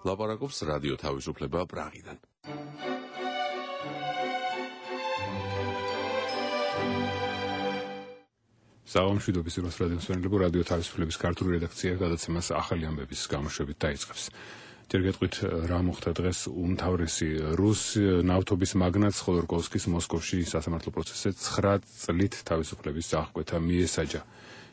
ლაპარაკობს რადიო თავისუფლება პრაღიდან. საღამოშვიდობის დროს რადიოსვენელებო რადიო თავისუფლების ქართული რედაქცია გადაცემას ახალი ამბების გამოშვებით დაიწყებს. ჯერ გეტყვით რა მოხდა დღეს უმთავრესი რუს ნავთობის მაგნატ ხოდორკოვსკის მოსკოვში სასამართლო პროცესზე 9 წლით თავისუფლების აღკვეთა მიესაჯა.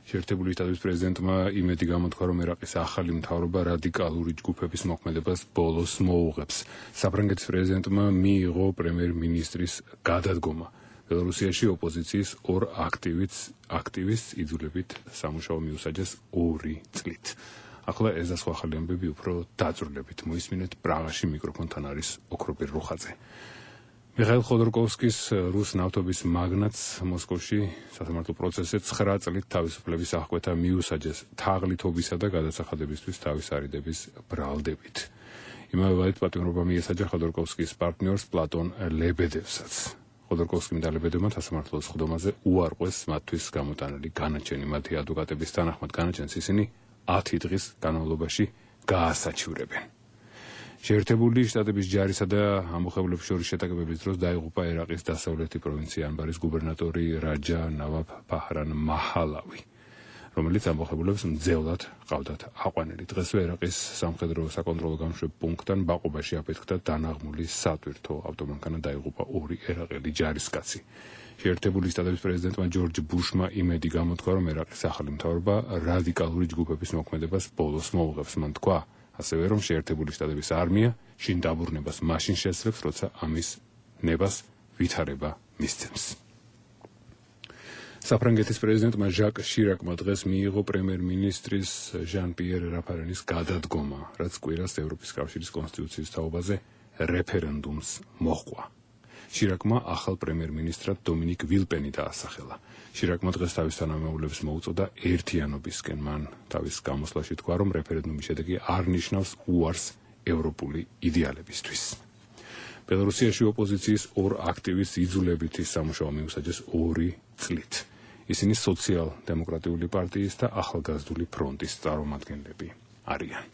შეერთებული შტატების პრეზიდენტმა იმედი გამოთქვა, რომ ერაყის ახალი მთავრობა რადიკალური ჯგუფების მოქმედებას ბოლოს მოუღებს. საფრანგეთის პრეზიდენტმა მიიღო პრემიერ-მინისტრის გადადგომა. ბელორუსიაში ოპოზიციის ორ აქტივისტს იძულებით სამუშაო მიუსაჯეს 2 წლით. ახლა ეს და სხვა ახალი ამბები უფრო დაწვრილებით მოისმინეთ. პრაღაში მიკროფონთან არის ოქროპირ რუხაძე. მიხაილ ხოდორკოვსკის რუს ნავთობის მაგნატს მოსკოვში სასამართლო პროცესზე 9 წლით თავისუფლების აღკვეთა მიუსაჯეს თაღლითობისა და გადასახადებისთვის თავის არიდების ბრალდებით. იმავე პატიმრობა მიესაჯა ხოდორკოვსკის პარტნიორს პლატონ ლებედევსაც. ხოდორკოვსკიმ და ლებედევმა სასამართლოს ხდომაზე უარყვეს მათთვის გამოტანილი განაჩენი. მათი ადვოკატების თანახმად განაჩენს ისინი 10 დღის განმავლობაში გაასაჩივრებენ. შეერთებული შტატების ჯარისა და ამბოხებლების შორის შეტაკებების დროს დაიღუპა ერაყის დასავლეთი პროვინცია ანბარის გუბერნატორი რაჯა ნავაფ ფაჰრან მაჰალავი, რომელიც ამბოხებლებს მძევლად ყავდათ აყვანილი. დღესვე ერაყის სამხედრო საკონტროლო გამშვებ პუნქტთან ბაყობაში აფეთქდა დანაღმული სატვირთო ავტომანქანა, დაიღუპა 2 ერაყელი ჯარისკაცი. შეერთებული შტატების პრეზიდენტმა ჯორჯ ბუშმა იმედი გამოთქვა, რომ ერაყის ახალი მთავრობა რადიკალური ჯგუფების მოქმედებას ბოლოს მოუღებს. მან თქვა ასევე, რომ შეერთებული შტატების არმია შინ დაბრუნებას მაშინ შეძლებს, როცა ამის ნებას ვითარება მისცემს. საფრანგეთის პრეზიდენტმა ჟაკ შირაკმა დღეს მიიღო პრემიერ-მინისტრის ჟან-პიერ რაფარენის გადადგომა, რაც კვირას ევროპის კავშირის კონსტიტუციის თაობაზე რეფერენდუმს მოჰყვა. შირაკმა ახალ პრემიერ-მინისტრად დომინიკ ვილპენი დაასახელა. შირაკმა დღეს თავის თანამდებობებს მოუწოდა ერთიანობისკენ. მან თავის გამოსვლაში თქვა, რომ რეფერენდუმის შედეგი არ ნიშნავს უარს ევროპული იდეალებისთვის. ბელორუსიაში ოპოზიციის 2 აქტივისტს იძულებითი სამუშაო მიუსაჯეს 2 წლით. ისინი სოციალ-დემოკრატიული პარტიის და ახალგაზრდული ფრონტის წარმომადგენლები არიან.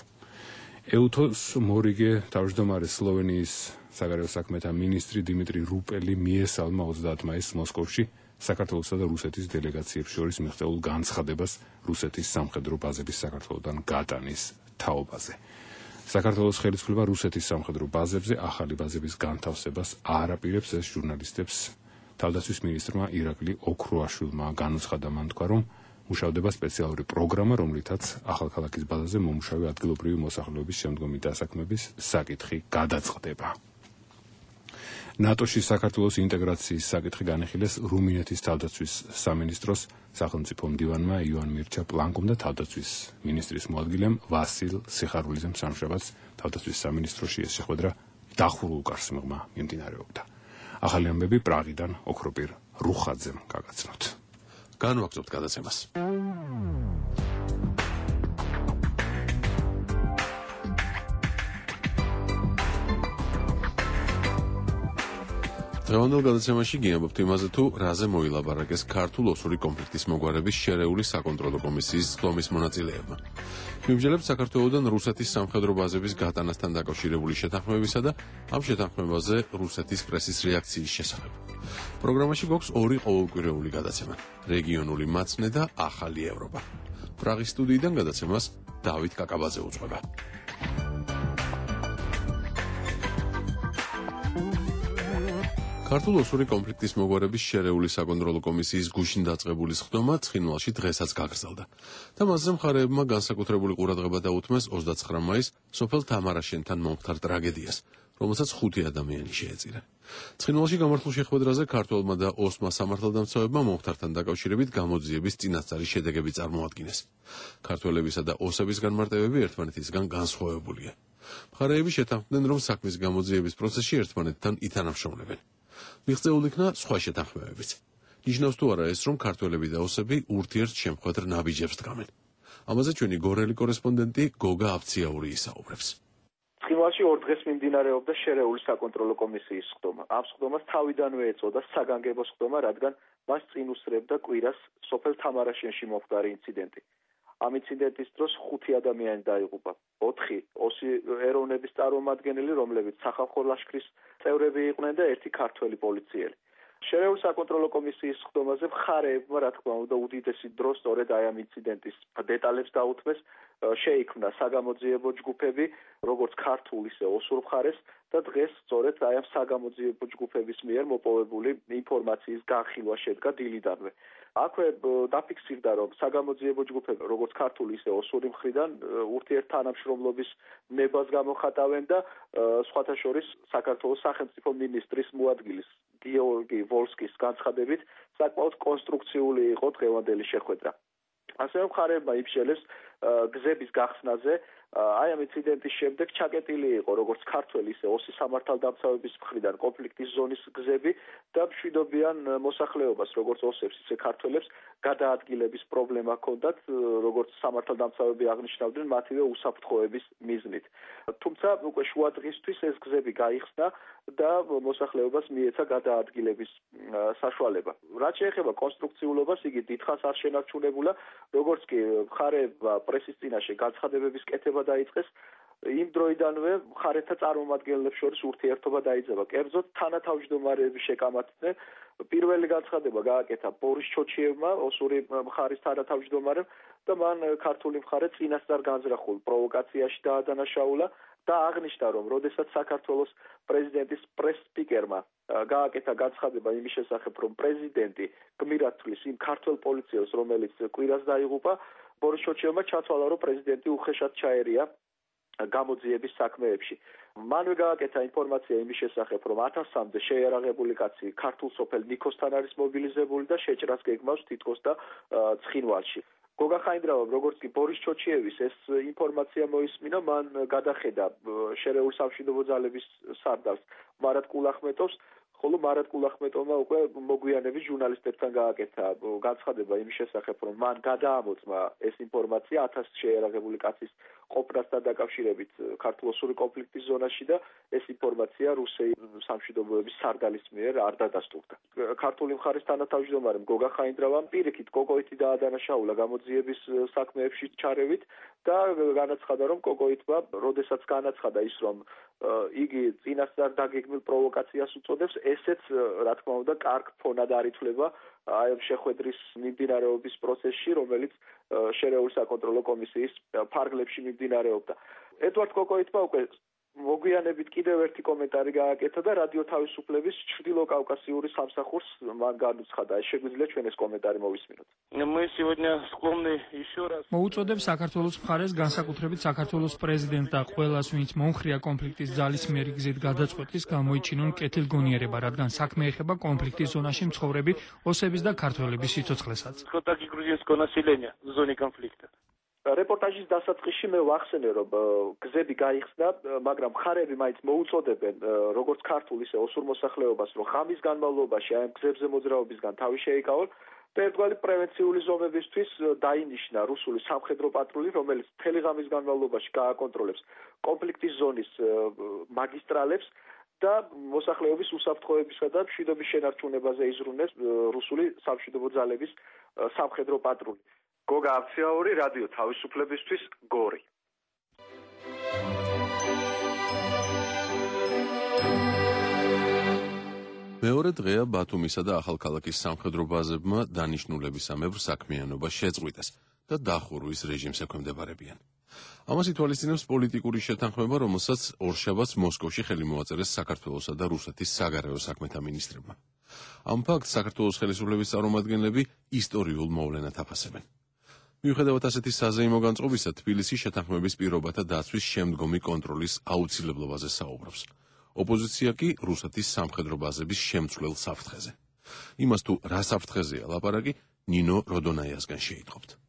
ეუთოს მორიგე თავმჯდომარე სლოვენიის საგარეო საქმეთა მინისტრი დიმიტრი რუპელი მიესალმა 30 მაისს მოსკოვში საქართველოსა და რუსეთის დელეგაციებს შორის მიღწეულ განცხადებას რუსეთის სამხედრო ბაზების საქართველოდან გატანის თაობაზე. საქართველოს ხელისუფლება რუსეთის სამხედრო ბაზებზე ახალი ბაზების განთავსებას არ აპირებს. ეს ჟურნალისტებს თავდაცვის მინისტრმა ირაკლი ოქროაშვილმა განუცხადა. მან თქვა, რომ მუშავდება სპეციალური პროგრამა, რომლითაც ახალქალაქის ბაზაზე მომუშავე ადგილობრივი მოსახლეობის შემდგომი დასაქმების საკითხი გადაწყდება. ნატოში საქართველოს ინტეგრაციის საკითხი განიხილეს რუმინეთის თავდაცვის სამინისტროს სახელმწიფო მდივანმა ივან მირჩა პლანკომ და თავდაცვის მინისტრის მოადგილემ ვასილ სიხარულიძემ სამშაბათს თავდაცვის სამინისტროში ეს შეხვედრა დახურულ გარსმაღმა მიმდინარეობდა. ახალი ამბები პრაღიდან ოქროპირ რუხაძემ გაგაცნოთ. განვაგრძობთ გადაცემას. დღევანდელ გადაცემაში გიამბობთ იმაზე, თუ რაზე მოილაპარაკეს ქართულ-ოსური კონფლიქტის მოგვარების შერეული საკონტროლო კომისიის ხდომის მონაწილეებმა. მიმსჯელებს საქართველოდან რუსეთის სამხედრო ბაზების გატანასთან დაკავშირებული შეთანხმებისა და ამ შეთანხმებაზე რუსეთის პრესის რეაქციის შესახებ. პროგრამაში გვაქვს 2 ყოველკვირეული გადაცემა: რეგიონული მაცნე და ახალი ევროპა. პრაღის სტუდიიდან გადაცემას დავით კაკაბაძე უძღვება. ქართულ-ოსური კონფლიქტის მოგვარების შერეული საკონტროლო კომისიის გუშინ დაწყებული ხდომა ცხინვალში დღესაც გაგრძელდა და მასზე მხარეებმა განსაკუთრებული ყურადღება დაუთმეს 29 მაისს სოფელ თამარაშენთან მომხდარ ტრაგედიას, რომელსაც 5 ადამიანი შეეწირა. ცხინვალში გამართულ შეხვედრაზე ქართველმა და ოსმა სამართალდამცავებმა მომხდართან დაკავშირებით გამოძიების წინასწარი შედეგები წარმოადგინეს. ქართველებისა და ოსების განმარტებები ერთმანეთისგან განსხვავებულია. მხარეები შეთანხმდნენ, რომ საქმის გამოძიების პროცესში ერთმანეთთან ითანამშრომლებენ. მიღწეულ იქნა სხვა შეთანხმებებიც. ნიშნავს თუ არა ეს, რომ ქართველები და ოსები ურთიერთშემხვედრ ნაბიჯებს დგამენ. ამაზე ჩვენი გორელი კორესპონდენტი გოგა აბციაური ისაუბრებს. ცხინვალში 2 დღეს მიმდინარეობდა შერეული საკონტროლო კომისიის ხდომა. ამ ხდომას თავიდანვე ეწოდა საგანგებო ხდომა, რადგან მას წინ უსწრებდა კვირას სოფელ თამარაშენში მომხდარი ინციდენტი. ამ ინციდენტის დროს 5 ადამიანი დაიღუპა. 4 ოსი ეროვნების წარმომადგენელი, რომლებიც სახალხო ლაშქრის წევრები იყვნენ და 1 ქართველი პოლიციელი. შერეული საკონტროლო კომისიის ხდომაზე მხარეებმა, რა თქმა უნდა, უდიდესი დრო სწორედ აი ამ ინციდენტის დეტალებს დაუთმეს, შეიქმნა საგამოძიებო ჯგუფები, როგორც ქართულ, ისე ოსურ მხარეს და დღეს სწორედ აი ამ საგამოძიებო ჯგუფების მიერ მოპოვებული ინფორმაციის განხილვა შედგა დილიდანვე. აქვე დაფიქსირდა, რომ საგამოძიებო ჯგუფები, როგორც ქართული, ისე ოსური მხრიდან ურთიერთთანამშრომლობის ნებას გამოხატავენ და სხვათა შორის საქართველოს სახელმწიფო მინისტრის მოადგილის გიორგი ვოლსკის განცხადებით საკმაოდ კონსტრუქციული იყო დღევანდელი შეხვედრა. ასევე მხარეებმა იბრძოლეს გზების გახსნაზე. აი ამ ინციდენტის შემდეგ ჩაკეტილი იყო როგორც ქართველი, ისე ოსი სამართალდამცავების მხრიდან კონფლიქტის ზონის გზები და მშვიდობიან მოსახლეობას, როგორც ოსებს, ისე ქართველებს გადაადგილების პრობლემა ჰქონდათ, როგორც სამართალდამცავები აღნიშნავდნენ, მათივე უსაფრთხოების მიზნით. თუმცა უკვე შუა დღისთვის ეს გზები გაიხსნა და მოსახლეობას მიეცა გადაადგილების საშუალება. რაც შეეხება კონსტრუქციულობას, იგი დიდხანს არ შენარჩუნებულა, როგორც კი მხარეებმა პრესის წინაშე განცხადებების კეთება დაიწყეს, იმ დროიდანვე მხარეთა წარმომადგენლებს შორის ურთიერთობა დაიძაბა. კერძოდ თანათავმჯდომარეები შეკამათდნენ. პირველი განცხადება გააკეთა ბორის ჩოჩიევმა, ოსური მხარის თანათავმჯდომარემ და მან ქართული მხარე წინასწარ განზრახულ პროვოკაციაში დაადანაშაულა და აღნიშნა, რომ როდესაც საქართველოს პრეზიდენტის პრეს-სპიკერმა გააკეთა განცხადება იმის შესახებ, რომ პრეზიდენტი გმირად თვლის იმ ქართველ პოლიციელს, რომელიც კვირას დაიღუპა, ბორის ჩოჩიევმა ჩათვალა, რომ პრეზიდენტი უხეშად ჩაერია გამოძიების საქმეებში. მანვე გააკეთა ინფორმაცია იმის შესახებ, რომ 1000-მდე შეიარაღებული კაცი ქართულ სოფელ ნიქოსთან არის მობილიზებული და შეჭრას გეგმავს თითქოს და ცხინვალში. გოგა ხაინდრავამ, როგორც კი ბორის ჩოჩიევის ეს ინფორმაცია მოისმინა, მან გადახედა შერეული სამშვიდობო ძალების სარდალს მარად კულახმეტოვს, ხოლო მარად კულახმეტოვმა უკვე მოგვიანებით ჟურნალისტებთან გააკეთა განცხადება იმის შესახებ, რომ მან გადაამოწმა ეს ინფორმაცია 1000 შეიარაღებული კაცის ყოფნასთან დაკავშირებით ქართულ-ოსური კონფლიქტის ზონაში და ეს ინფორმაცია რუსი სამშვიდობოების სარდალის მიერ არ დადასტურდა. ქართული მხარის თანათავმჯდომარემ გოგა ხაინდრავამ პირიქით კოკოიტი დაადანაშაულა გამოძიების საქმეებში ჩარევით და განაცხადა, რომ კოკოიტმა, როდესაც განაცხადა ის, რომ იგი წინასწარ დაგეგმილ პროვოკაციას უწოდებს, ესეც რა თქმა უნდა კარგ ფონად არ ითვლება აი ამ შეხვედრის მიმდინარეობის პროცესში, რომელიც შერეული საკონტროლო კომისიის ფარგლებში მიმდინარეობდა. ედვარდ კოკოიტმა უკვე მოგვიანებით კიდევ ერთი კომენტარი გააკეთა და რადიო თავისუფლების ჩრდილო კავკასიური სამსახურს მან განუცხადა. შეგვიძლია ჩვენ ეს კომენტარი მოვისმინოთ. მოუწოდებ საქართველოს მხარეს, განსაკუთრებით საქართველოს პრეზიდენტს და ყველას, ვინც მომხრია კონფლიქტის ძალისმიერი გზით გადაწყვეტის, გამოიჩინონ კეთილგონიერება, რადგან საქმე ეხება კონფლიქტის ზონაში მცხოვრები ოსების და ქართველების სიცოცხლესაც. რეპორტაჟის დასაწყისში მე ვახსენე, რომ გზები გაიხსნა, მაგრამ მხარეები მაინც მოუწოდებენ როგორც ქართულ, ისე ოსურ მოსახლეობას, რომ ღამის განმავლობაში აი ამ გზებზე მოძრაობისგან თავი შეიკავონ და ერთგვარი პრევენციული ზომებისთვის დაინიშნა რუსული სამხედრო პატრული, რომელიც მთელი ღამის განმავლობაში გააკონტროლებს კონფლიქტის ზონის მაგისტრალებს და მოსახლეობის უსაფრთხოებისა და მშვიდობის შენარჩუნებაზე იზრუნებს რუსული სამშვიდობო ძალების სამხედრო პატრული. გოგა აფციაური, რადიო თავისუფლებისთვის, გორი. მეორე დღეა ბათუმისა და ახალქალაქის სამხედრო ბაზებმა დანიშნულებისამებრ საქმიანობა შეწყვიტეს და დახურვის რეჟიმს ექვემდებარებიან. ამას ითვალისწინებს პოლიტიკური შეთანხმება, რომელსაც ორშაბათს მოსკოვში ხელი მოაწერეს საქართველოსა და რუსეთის საგარეო საქმეთა მინისტრებმა. ამ ფაქტს საქართველოს ხელისუფლების წარმომადგენლები ისტორიულ მოვლენად აფასებენ. მიუხედავად ასეთი საზეიმო განწყობისა, თბილისი შეთანხმების პირობათა დაცვის შემდგომი კონტროლის აუცილებლობაზე საუბრობს. ოპოზიცია კი რუსეთის სამხედრო ბაზების შემცვლელ საფრთხეზე. იმას თუ რა საფრთხეზეა ლაპარაკი, ნინო როდონაიასგან შეიტყობთ.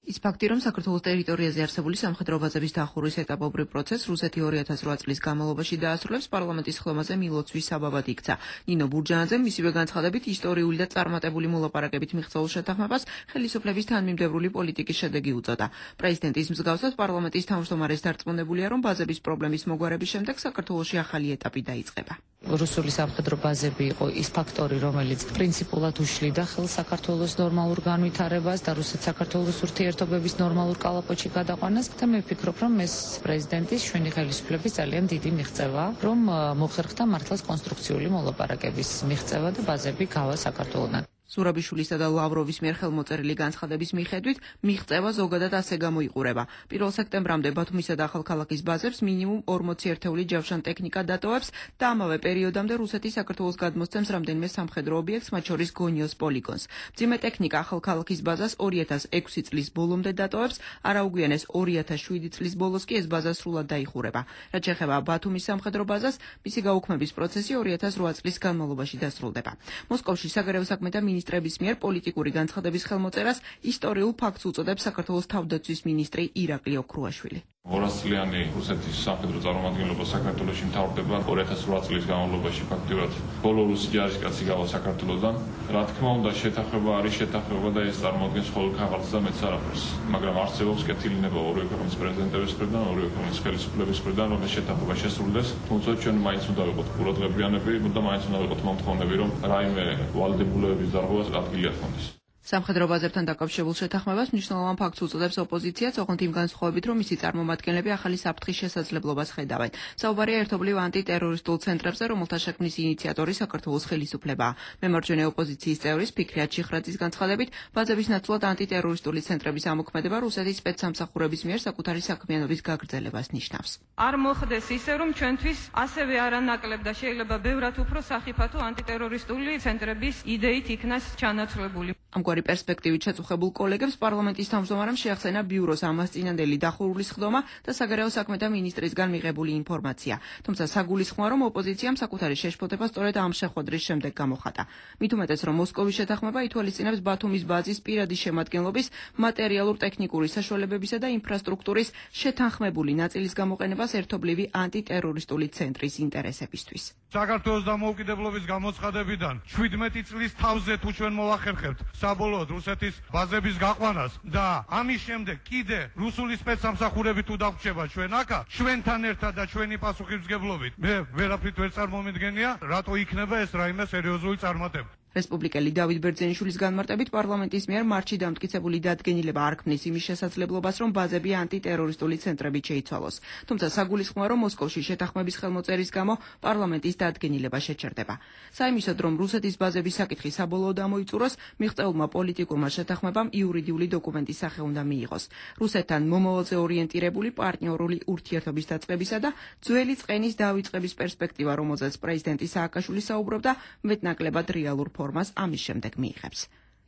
ის ფაქტი, რომ საქართველოს ტერიტორიაზე არსებული სამხედრო ბაზების დახურვის ეტაპობრივ პროცესს რუსეთი 2008 წლის განმავლობაში დაასრულებს, პარლამენტის ხლომაზე მილოცვის საბაბად იქცა. ნინო ბურჯანაძემ მისივე განცხადებით ისტორიული და წარმატებული მოლაპარაკებით მიღწეულ შეთანხმებას ხელისუფლების თანმიმდევრული პოლიტიკის შედეგი უწოდა. პრეზიდენტის მსგავსად პარლამენტის თავმჯდომარეს დარწმუნებულია, რომ ბაზების პრობლემის მოგვარების შემდეგ საქართველოში ახალი ეტაპი დაიწყება. რუსული სამხედრო ბაზები იყო ის ფაქტორი, რომელიც პრინციპულად უშლიდა ხელს საქართველოს ნორმალურ განვითარებას და რუსეთ-საქართველოს ურთიერთობებს. ურთიერთობების ნორმალურ კალაპოტში გადაყვანას და მე ვფიქრობ, რომ ეს პრეზიდენტის ჩვენი ხელისუფლების ძალიან დიდი მიღწევაა, რომ მოხერხდა მართლაც კონსტრუქციული მოლაპარაკების მიღწევა და ბაზები გავა საქართველოსთან. ზურაბიშვილისა და ლავროვის მიერ ხელმოწერილი განცხადების მიხედვით მიღწევა ზოგადად ასე გამოიყურება. 1 სექტემბრამდე ბათუმისა და ახალქალაქის ბაზებს მინიმუმ 40 ერთეული ჯავშან ტექნიკა დატოვებს და ამავე პერიოდამდე რუსეთი საქართველოს გადმოსცემს რამდენიმე სამხედრო ობიექტს, მათ შორის გონიოს პოლიგონს. მძიმე ტექნიკა ახალქალაქის ბაზას 2006 წლის ბოლომდე დატოვებს, არაუგვიანეს 2007 წლის ბოლოს კი ეს ბაზა სრულად დაიხურება. რაც შეეხება ბათუმის სამხედრო ბაზას, მისი გაუქმების პროცესი 2008 წლის განმავლობაში დასრულდება. მოსკოვში საგარეო საქმეთა მინისტრების მიერ პოლიტიკური განცხადების ხელმოწერას ისტორიულ ფაქტს უწოდებს საქართველოს თავდაცვის მინისტრი ირაკლი ოქრუაშვილი. 200 წლიანი რუსეთის სამხედრო წარმომადგენლობა საქართველოში მთავრდება 2008 წლის განმავლობაში ფაქტიურად ბოლო რუსი ჯარისკაცი გავა საქართველოსთან. რა თქმა უნდა, შეთანხმება არის შეთანხმება და ეს წარმოადგენს მხოლოდ ქაღალდს და მეც არაფერს. მაგრამ არსებობს კეთილინება ორივე ქვეყნის პრეზიდენტების მხრიდან, ორივე ქვეყნის ხელისუფლების მხრიდან, რომ ეს შეთანხმება შესრულდეს. თუმცა ჩვენ მაინც უნდა ვიყოთ ყურადღებიანები და მაინც უნდა ვიყოთ მომთხოვნები, რომ რაიმე ვალდებულებების დარღვევას ადგილი არ ჰქონდეს. სამხედრო ბაზებთან დაკავშირებულ შეთანხმებას მნიშვნელოვან ფაქტს უწოდებს ოპოზიციაც, ოღონდ იმ განსხვავებით, რომ მისი წარმომადგენლები ახალი საფრთხის შესაძლებლობას ხედავენ. საუბარია ერთობლივ ანტიტერორისტულ ცენტრებზე, რომელთა შექმნის ინიციატორი საქართველოს ხელისუფლებაა. მემარჯვენე ოპოზიციის წევრის ფიქრიათ შიხრაძის განცხადებით, ბაზების ნაცვლად ანტიტერორისტული ცენტრების ამოქმედება რუსეთის სპეცსამსახურების მიერ საკუთარი საქმიანობის გაგრძელებას ნიშნავს. არ მოხდეს ისე, რომ ჩვენთვის ასევე არანაკლებ და შეიძლება ბევრად უფრო სახიფათო ანტიტერორისტული ცენტრების იდეით იქნას ჩანაცვლებული. ამგვარი პერსპექტივით შეწუხებულ კოლეგებს პარლამენტის თავმჯდომარემ შეახსენა ბიუროს ამასწინანდელი დახურული სხდომა და საგარეო საქმეთა მინისტრისგან მიღებული ინფორმაცია. თუმცა საგულისხმოა, რომ ოპოზიციამ საკუთარი შეშფოთება სწორედ ამ შეხვედრის შემდეგ გამოხატა. მით უმეტეს, რომ მოსკოვის შეთანხმება ითვალისწინებს ბათუმის ბაზის პირადი შემადგენლობის მატერიალურ-ტექნიკური საშუალებებისა და ინფრასტრუქტურის შეთანხმებული ნაწილის გამოყენებას ერთობლივი ანტიტერორისტული ცენტრის ინტერესებისთვის. საქართველოს დამოუკიდებლობის გამოცხადებიდან 17 წლის თავზე თუ ჩვენ მოვახერხებთ საბოლოოდ რუსეთის ბაზების გაყვანას და ამის შემდეგ კიდე რუსული სპეცსამსახურები თუ დაგვჭება ჩვენ აქა, ჩვენთან ერთად და ჩვენი პასუხისმგებლობით, მე ვერაფრით ვერ წარმომიდგენია, რატო იქნება ეს რაიმე სერიოზული წარმატება. რესპუბლიკელი დავით ბერძენიშვილის განმარტებით პარლამენტის მიერ მარტში დამტკიცებული დადგენილება არ ქმნის იმის შესაძლებლობას, რომ ბაზები ანტიტერორისტული ცენტრებით შეიცვალოს. თუმცა საგულისხმოა, რომ მოსკოვში შეთანხმების ხელმოწერის გამო პარლამენტის დადგენილება შეჩერდება. საიმისოდ, რომ რუსეთის ბაზების საკითხი საბოლოოდ ამოიწუროს, მიღწეულმა პოლიტიკურმა შეთანხმებამ იურიდიული დოკუმენტის სახე უნდა მიიღოს. რუსეთთან მომავალზე ორიენტირებული პარტნიორული ურთიერთობის დაწყებისა და ძველი წყენის დავიწყების პერსპექტივა, რომელზეც პრეზიდენტი სააკაშვილი საუბრობდა, მეტნაკლებად რეალურ ფორმას ამის შემდეგ მიიღებს.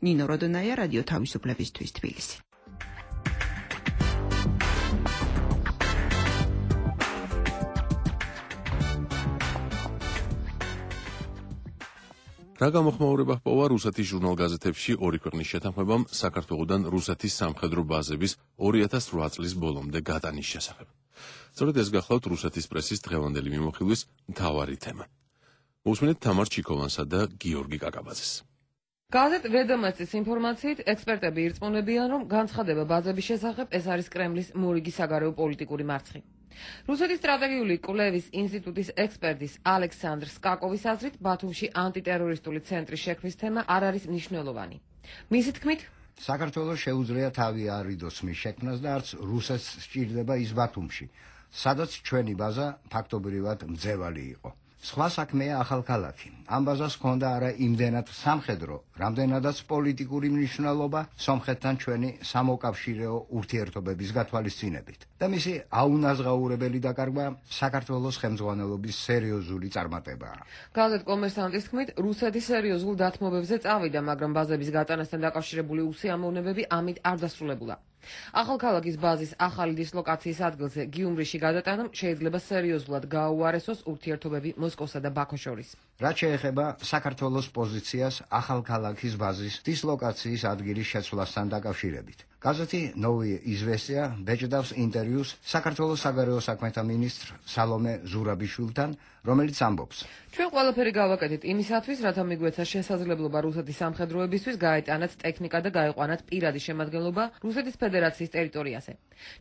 ნინო როდონაია, რადიო თავისუფლებისთვის, თბილისი. რა გამოხმაურება ჰპოვა რუსეთის ჟურნალ-გაზეთებში ორი ქვეყნის შეთანხმებამ საქართველოსთან რუსეთის სამხედრო ბაზების 2008 წლის ბოლომდე გადანის შესახებ. სწორედ ეს გახლავთ რუსეთის პრესის დღევანდელი მიმოხილვის მთავარი თემა. მოусმინეთ თამარ ჩიკოვანსა და გიორგი კაკაბაძეს. გაზეთ ვედომასტის ინფორმაციით, ექსპერტები ირწმუნებიან, რომ განცხადება ბაზების შესახებ ეს არის კრემლის მორიგი საგარეო პოლიტიკური მარცხი. რუსეთის სტრატეგიული კვლევის ინსტიტუტის ექსპერტის ალექსანდრ სკაკოვის აზრით, ბათუმში ანტიტერორისტული ცენტრის შექმნის თემა არ არის მნიშვნელოვანი. მისი თქმით, საქართველოს შეუძლია თავი არიდოს მის შექმნას და არც რუსეთს სჭირდება ის ბათუმში, სადაც ჩვენი ბაზა ფაქტობრივად მძევალი იყო. სხვა საქმეა ახალქალაქი. ამ ბაზას ჰქონდა არა იმდენად სამხედრო, რამდენადაც პოლიტიკური მნიშვნელობა სომხეთთან ჩვენი სამოკავშირეო ურთიერთობების გათვალისწინებით. და მისი აუნაზღაურებელი დაკარგვა საქართველოს ხელმძღვანელობის სერიოზული წარმატებაა. გაზეთ კომერსანტის თქმით, რუსეთი სერიოზულ დათმობებზე წავიდა, მაგრამ ბაზების გატანასთან დაკავშირებული უსიამოვნებები ამით არ დასრულებულა. ახალქალაქის ბაზის ახალი დისლოკაციის ადგილზე გიუმრიში გადატანამ შეიძლება სერიოზულად გააუარესოს ურთიერთობები მოსკოვსა და ბაქოს შორის. რაც შეეხება საქართველოს პოზიციას ახალქალაქის ბაზის დისლოკაციის ადგილის შეცვლასთან დაკავშირებით. გაზეთი ნოვი იზვესტია ბეჭდავს ინტერვიუს საქართველოს საგარეო საქმეთა მინისტრ სალომე ზურაბიშვილთან, რომელიც ამბობს: ჩვენ ყველაფერი გავაკეთეთ იმისათვის, რათა მიგვეცა შესაძლებლობა რუსეთის სამხედროებისთვის გაეტანათ ტექნიკა და გაეყვანათ პირადი შემადგენლობა რუსეთის ფედერაციის ტერიტორიაზე.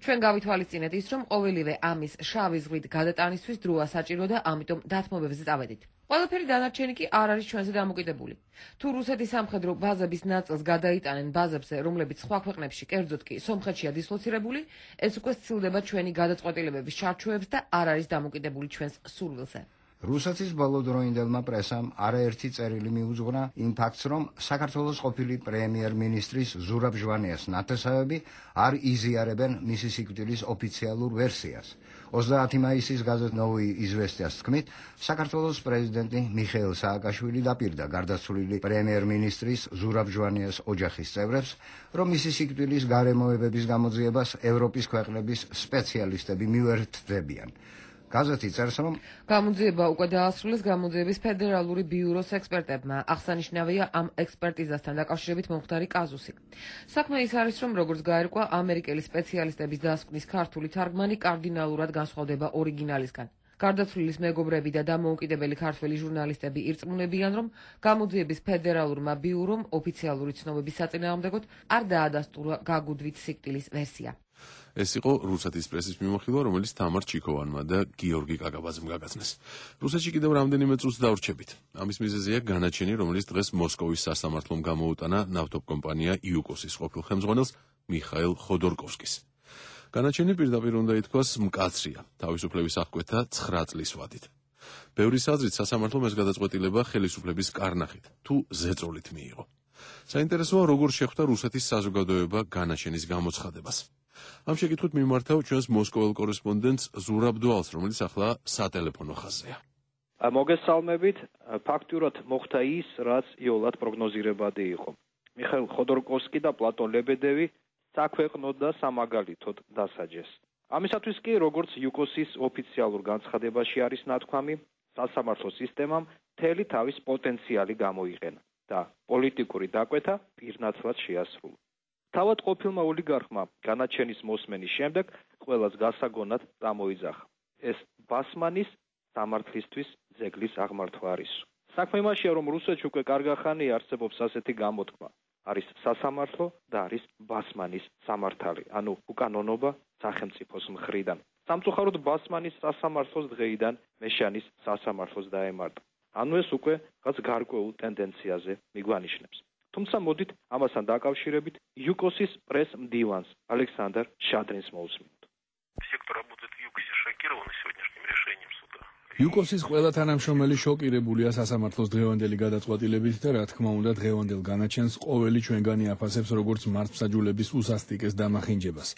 ჩვენ გავითვალისწინეთ ის, რომ ყოველივე ამის შავი ზღვით გადატანისთვის დროა საჭირო და ამიტომ დათმობებზე წავედით. ყველაფერი დანარჩენი კი არ არის ჩვენზე დამოკიდებული. თუ რუსეთის სამხედრო ბაზების ნაწილს გადაიტანენ ბაზებზე, რომლებიც სხვა ქვეყნებში, კერძოდ კი სომხეთშია დისლოცირებული, ეს უკვე სცილდება ჩვენი გადაწყვეტილებების ჩარჩოებს და არ არის დამოკიდებული ჩვენს სურვილზე. რუსეთის ბოლოდროინდელმა პრესამ არაერთი წერილი მიუძღვნა იმ ფაქტს, რომ საქართველოს ყოფილი პრემიერ-მინისტრის ზურაბ ჟვანიას ნათესავები არ იზიარებენ მისი სიკვდილის ოფიციალურ ვერსიას. 30 მაისის გაზეთ ნოვოი იზვესტიას თქმით, საქართველოს პრეზიდენტი მიხეილ სააკაშვილი დაპირდა გარდაცვლილი პრემიერ-მინისტრის ზურაბ ჟვანიას ოჯახის წევრებს, რომ მისი სიკვდილის გარემოებების გამოძიებას ევროპის ქვეყნების სპეციალისტები მიუერთდებიან. გაზეთი წერს, რომ გამოძიება უკვე დაასრულეს გამოძიების ფედერალური ბიუროს ექსპერტებმა. აღსანიშნავია ამ ექსპერტიზასთან დაკავშირებით მომხდარი კაზუსი. საქმე ის არის, რომ როგორც გაირკვა, ამერიკელი სპეციალისტების დასკვნის ქართული თარგმანი კარდინალურად განსხვავდება ორიგინალისგან. გარდაცვლილის მეგობრები და დამოუკიდებელი ქართველი ჟურნალისტები ირწმუნებიან, რომ გამოძიების ფედერალურმა ბიურომ ოფიციალური ცნობების საწინააღმდეგოდ არ დაადასტურა გაგუდვით სიკვდილის ვერსია. ეს იყო რუსეთის პრესის მიმოხილვა, რომელიც თამარ ჩიქოვანმა და გიორგი კაკაბაძემ გაგაცნეს. რუსეთში კიდევ რამდენიმე წუთს დავრჩებით. ამის მიზეზია განაჩენი, რომელიც დღეს მოსკოვის სასამართლომ გამოუტანა ნავთობკომპანია იუკოსის ყოფილ ხელმძღვანელს მიხაილ ხოდორკოვსკის. განაჩენი პირდაპირ უნდა ითქვას მკაცრია, თავისუფლების აღკვეთა 9 წლის ვადით. ბევრი აზრით სასამართლომ ეს გადაწყვეტილება ხელისუფლების კარნახით თუ ზეწოლით მიიღო. საინტერესოა, როგორ შეხვდა რუსეთის საზოგადოება განაჩენის გამოცხადებას. ამ შეკითხვით მიმართავ ჩვენს მოსკოველ კორესპონდენტს ზურაბ დვალს, რომელიც ახლა სატელეფონო ხაზზეა. მოგესალმებით. ფაქტურად მოხდა ის, რაც იოლად პროგნოზირებადი იყო. მიხაილ ხოდორკოვსკი და პლატონ ლებედევი საქვეყნოდ და სამაგალითოდ დასაჯეს. ამისათვის კი, როგორც იუკოსის ოფიციალურ განცხადებაში არის ნათქვამი, სასამართლო სისტემამ მთელი თავის პოტენციალი გამოიყენა და პოლიტიკური დაკვეთა პირნათლად შეასრულა. თავად ყოფილმა ოლიგარხმა განაჩენის მოსმენის შემდეგ ყველას გასაგონად წამოიძახა. ეს ბასმანის სამართლისთვის ძეგლის აღმართვა არის. საქმე იმაშია, რომ რუსეთში უკვე კარგახანი არსებობს ასეთი გამოთქმა. არის სასამართლო და არის ბასმანის სამართალი, ანუ უკანონობა სახელმწიფოს მხრიდან. სამწუხაროდ ბასმანის სასამართლოს დღეიდან მეშანის სასამართლოს დაემართა. ანუ ეს უკვე რაც გარკვეულ ტენდენციაზე მიგვანიშნებს. თუმცა მოდით ამასთან დაკავშირებით იუკოსის პრეს მდივანს ალექსანდრ შადრინს მოვუსმინოთ. იუკოსის ყველა თანამშრომელი შოკირებულია სასამართლოს დღევანდელი გადაწყვეტილებით და რა თქმა უნდა დღევანდელ განაჩენს ყოველი ჩვენგანი აფასებს როგორც მართლმსაჯულების უსასტიკეს დამახინჯებას,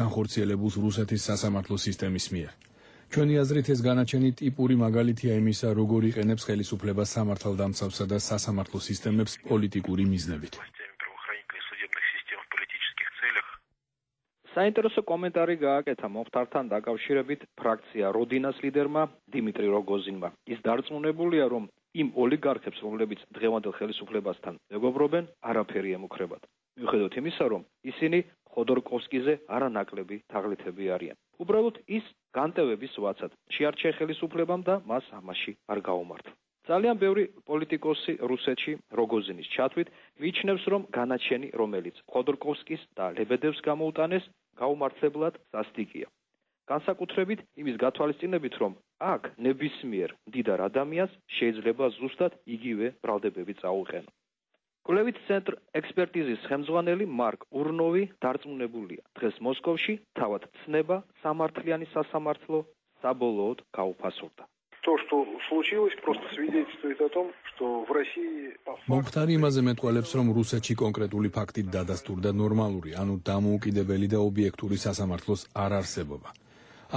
განხორციელებულს რუსეთის სასამართლო სისტემის მიერ. ჩვენი აზრით ეს განაჩენი ტიპური მაგალითია იმისა, როგორ იყენებს ხელისუფლება სამართალდამცავსა და სასამართლო სისტემებს პოლიტიკური მიზნებით. საინტერესო კომენტარი გააკეთა მომხდართან დაკავშირებით ფრაქცია როდინას ლიდერმა დიმიტრი როგოზინმა. ის დარწმუნებულია, რომ იმ ოლიგარქებს, რომლებიც დღევანდელ ხელისუფლებასთან მეგობრობენ, არაფერი ემუქრებათ. მიუხედავად იმისა, რომ ისინი ხოდორკოვსკიზე არანაკლები თაღლითები არიან. უბრალოდ ის განტევების ვაცად შეარჩია ხელისუფლებამ და მას ამაში არ გაუმართლა. ძალიან ბევრი პოლიტიკოსი რუსეთში როგოზინის ჩათვლით მიიჩნევს, რომ განაჩენი, რომელიც ხოდორკოვსკის და ლებედევს გამოუტანეს, გაუმართლებლად სასტიკია. განსაკუთრებით იმის გათვალისწინებით, რომ აქ ნებისმიერ მდიდარ ადამიანს შეიძლება ზუსტად იგივე ბრალდებები წაუყენო. კვლევით ცენტრ ექსპერტიზის ხელმძღვანელი მარკ ურნოვი დარწმუნებულია, დღეს მოსკოვში თავად ცნება სამართლიანი სასამართლო საბოლოოდ გაუფასურდა. То, что случилось, просто свидетельствует о том, что в России... მომხდარი იმაზე მეტყველებს, რომ რუსეთში კონკრეტული ფაქტით დადასტურდა ნორმალური, ანუ დამოუკიდებელი და ობიექტური სასამართლოს არ არსებობა.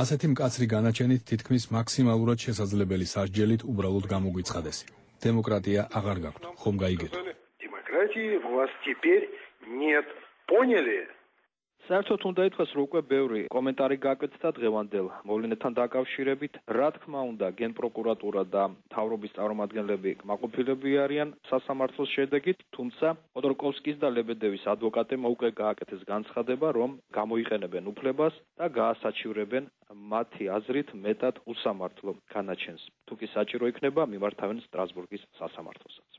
ასეთი მკაცრი განაჩენით თითქმის მაქსიმალურად შესაძლებელი სასჯელით უბრალოდ გამოგვიცხადეს. დემოკრატია აღარ გაქვთ, ხომ გაიგეთ? Демократии у вас теперь нет. Поняли? საერთოდ უნდა ითქვას, რომ უკვე ბევრი კომენტარი გააკეთა დღევანდელ მოვლენებთან დაკავშირებით. რა თქმა უნდა, გენპროკურატურა და მთავრობის წარმომადგენლები კმაყოფილები არიან სასამართლოს შედეგით, თუმცა ხოდორკოვსკის და ლებედევის ადვოკატებმა უკვე გააკეთეს განცხადება, რომ გამოიყენებენ უფლებას და გაასაჩივრებენ მათი აზრით მეტად უსამართლო განაჩენს. თუ კი საჭირო იქნება, მიმართავენ სტრასბურგის სასამართლოსაც.